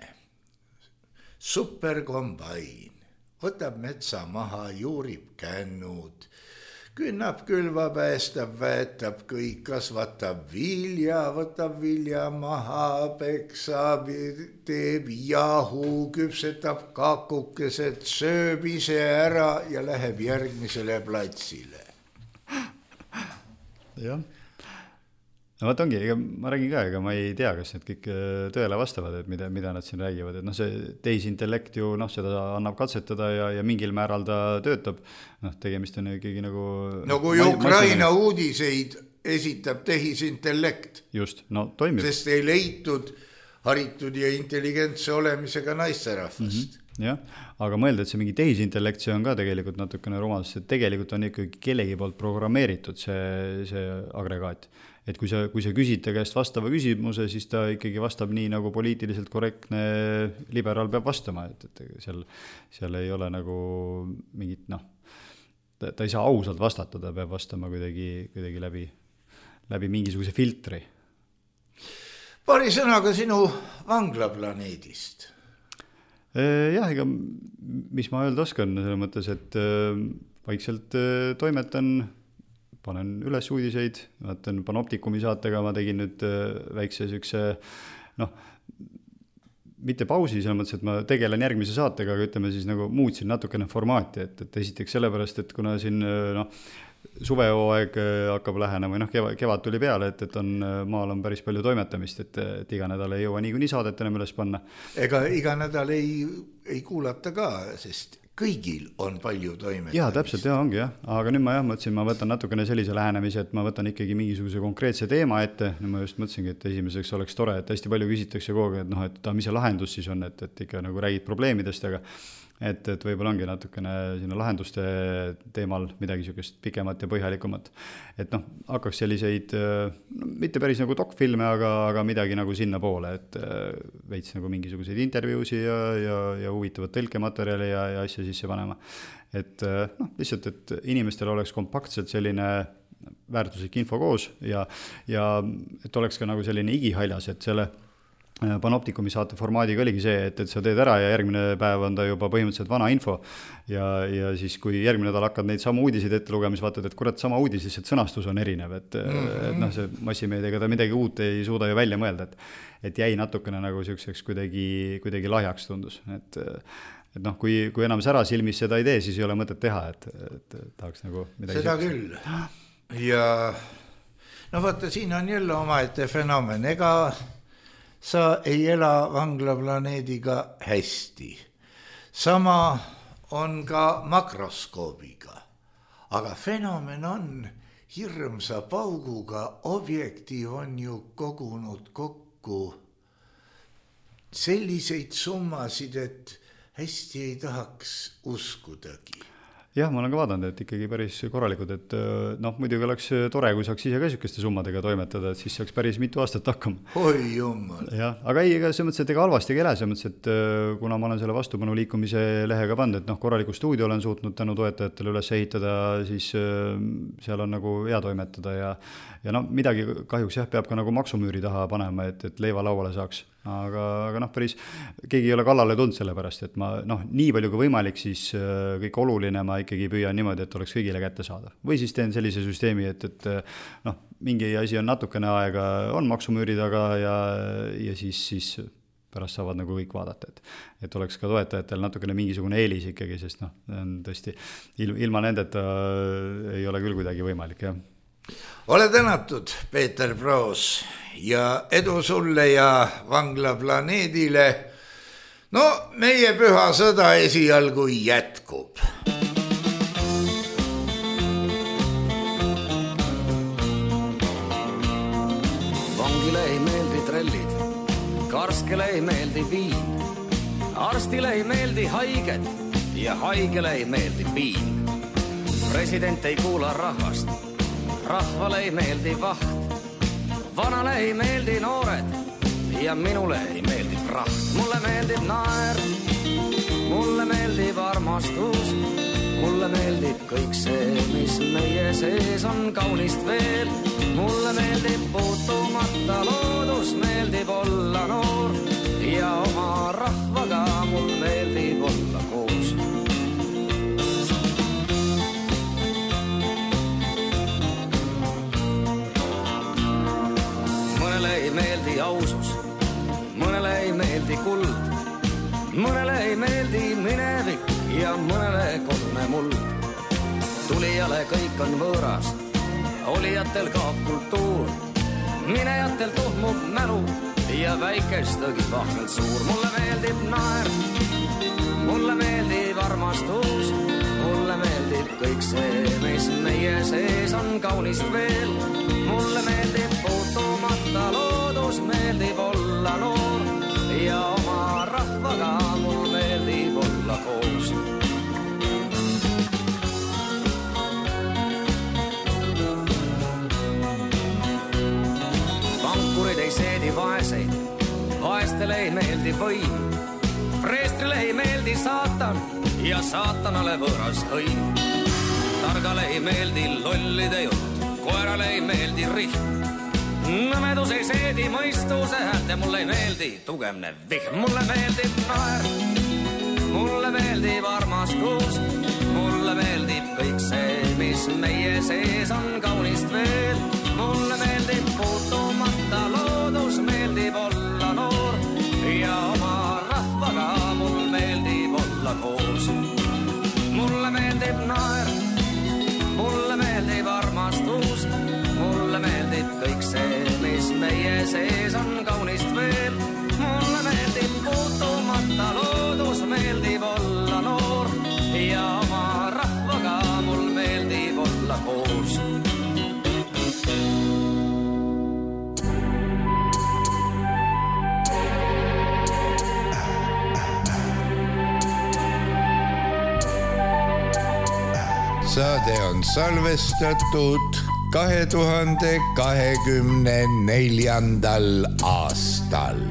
Superkombain. Võtab metsa maha, juurib kännud. Künnab, külva, päästab, väetab kõik, kasvatab vilja, võtab vilja maha, peksab, teeb jahu, küpsetab kakukesed, sööb ise ära ja läheb järgmisele platsile. Jah. No vaat ongi, ega ma räägin ka, ega ma ei tea, kas need kõik tõele vastavad, et mida, mida nad siin räägivad, et noh, see tehisintellekt ju, noh, seda annab katsetada ja, ja mingil määral ta töötab, noh, tegemist on ikkagi nagu... No kui ma, Ukraina ma uudiseid esitab tehisintellekt, just, no toimib. Sest ei leitud haritud ja intelligentse olemisega naisterahvast. Mm-hmm. Jah, aga mõelda, et see mingi tehisintellekt, see on ka tegelikult natukene rumal, sest tegelikult on ikkagi kellegi poolt programmeeritud see, see agregaat. et kui sa, kui sa küsid ta käest vastava küsimuse, siis ta ikkagi vastab nii, nagu poliitiliselt korrektne liberaal peab vastama, et, et seal, seal ei ole nagu mingit, noh, ta, ta ei saa ausalt vastata, ta peab vastama kuidagi, kuidagi läbi, läbi mingisuguse filtri. Paari sõnaga sinu vanglaplaneedist. Jah, ega mis ma öelda oskan, selle mõttes, et vaikselt toimetan, panen üles uudiseid, vaatan Panoptikumi saatega, ma tegin nüüd väikse sükse, noh, mitte pausi, selles mõttes, et ma tegelen järgmise saatega, aga ütleme siis nagu muutsin natukene formaati, et, et esiteks sellepärast, et kuna siin, noh, suvehooaeg hakkab lähenema või noh, kevad, kevad tuli peale, et, et on, maal on päris palju toimetamist, et, et iga nädal ei jõua niikuinii saadet enam üles panna. Ega iga nädal ei, ei kuulata ka, sest kõigil on palju toimetamist. Jaa, täpselt, jah, ongi jah. Aga nüüd ma jah mõtlesin, ma võtan natukene sellise lähenemise, et ma võtan ikkagi mingisuguse konkreetse teema ette. Nüüd ma just mõtlesingi, et esimeseks oleks tore, et hästi palju küsitakse kogu aeg, et noh, et mis see lahendus siis on, et, et ikka nagu räägid probleemidest, aga et, et võib-olla ongi natukene sinna lahenduste teemal midagi niisugust pikemat ja põhjalikumat. Et noh, hakkaks selliseid, no, mitte päris nagu dokfilme, aga, aga midagi nagu sinna poole, et veits nagu mingisuguseid intervjuusi ja, ja, ja huvitavat tõlkematerjali ja, ja asja sisse panema. Et noh, lihtsalt, et inimestel oleks kompaktselt selline väärtuslik info koos ja, ja et oleks ka nagu selline igihaljas, et selle Panoptikumi saate formaadiga oligi see, et, et sa teed ära ja järgmine päev on ta juba põhimõtteliselt vana info ja, ja siis kui järgmine nädal hakkad neid sama uudiseid ette lugema, siis vaatad, et kurat sama uudis, lihtsalt sõnastus on erinev, et, mm-hmm. et noh, see massimeediaga ta midagi uut ei suuda ju välja mõelda, et, et jäi natukene nagu selliseks kuidagi, kuidagi lahjaks tundus, et et noh, kui, kui enam sära silmis seda ei tee, siis ei ole mõtet teha, et, et tahaks nagu midagi seda küll. Ja no vaata, siin on jälle omaette fenomen, ega sa ei ela vanglaplaneediga hästi. Sama on ka makroskoobiga. Aga fenomen on hirmsa pauguga, objektiiv on ju kogunud kokku selliseid summasid, et hästi ei tahaks uskudagi. Jah, ma olen ka vaadanud, et ikkagi päris korralikud, et noh, muidugi oleks tore, kui saaks ise ka sükeste summadega toimetada, et siis saaks päris mitu aastat hakkama. Oi jummal. Jah, aga ei, ega see mõttes, et ega halvasti ei ele, see mõttes, et kuna ma olen selle vastupanu liikumise lehega pannud, et noh, korraliku stuudio olen suutnud tänu toetajatele üles ehitada, siis seal on nagu hea toimetada ja, ja noh, midagi kahjuks jah, peab ka nagu maksumüüri taha panema, et, et leiva lauale saaks. Aga, aga noh, päris keegi ei ole kallale tulnud selle pärast, et ma noh, nii palju kui võimalik, siis kõik oluline ma ikkagi püüan niimoodi, et oleks kõigile kätte saada. Või siis teen sellise süsteemi, et, et noh, mingi asi on natukene aega, on maksumüüri taga ja, ja siis, siis pärast saavad nagu kõik vaadata, et, et oleks ka toetajatel natukene mingisugune eelis ikkagi, sest noh, on tõesti ilma nendeta ei ole küll kuidagi võimalik, jah. Ole tänatud, Peeter Proos, ja edu sulle ja vanglaplaneedile. No, meie püha sõda esialgu jätkub. Vangile ei meeldi trellid, karskele ei meeldi viin, arstile ei meeldi haiged ja haigele ei meeldi piin. President ei kuula rahvast, rahvale ei meeldi vaht, vanale ei meeldi noored ja minule ei meeldi praht. Mulle meeldib naer, mulle meeldib armastus, mulle meeldib kõik see, mis meie sees on kaunist veel. Mulle meeldib puutumata loodus, meeldib olla noor ja oma rahvaga mul meeldib olla koos. Mõnele ei meeldi ausus, mõnele ei meeldi kuld, mõnele ei meeldi minevik ja mõnele kodune muld. Tulijale kõik on võõras, olijatel kaob kultuur, minejatel tuhmub mälu ja väikestagi vahvelt suur. Mulle meeldib naer, mulle meeldib armastus, mulle meeldib kõik see, mis meie sees on kaunist veel. Mulle meeldib puutumata loodus, meeldib olla noor ja oma rahvaga mul meeldib olla koos. meeldi võim. Preestrile ei meeldi saatan ja saatanale võõras hõim. Targale ei meeldi lollide jutt, koerale ei meeldi rihm. Nõmedus ei seedi mõistuse häält ja mulle ei meeldi tugevne vihm. Mulle meeldib naer, mulle meeldib armastus, mulle meeldib kõik see, mis meie sees on kaunist veel. Mulle meeldib puutumata loodus, meeldib olla noor ja oma rahvaga mul meeldib olla koos. Mulle meeldib naer, mulle meeldib armastus, mulle meeldib kõik see, mis meie sees on kaunist veel. Mulle meeldib puutumata loodus, meeldib olla noor ja oma rahvaga mul meeldib olla koos. Saade on salvestatud kahe tuhande kahekümne neljandal aastal.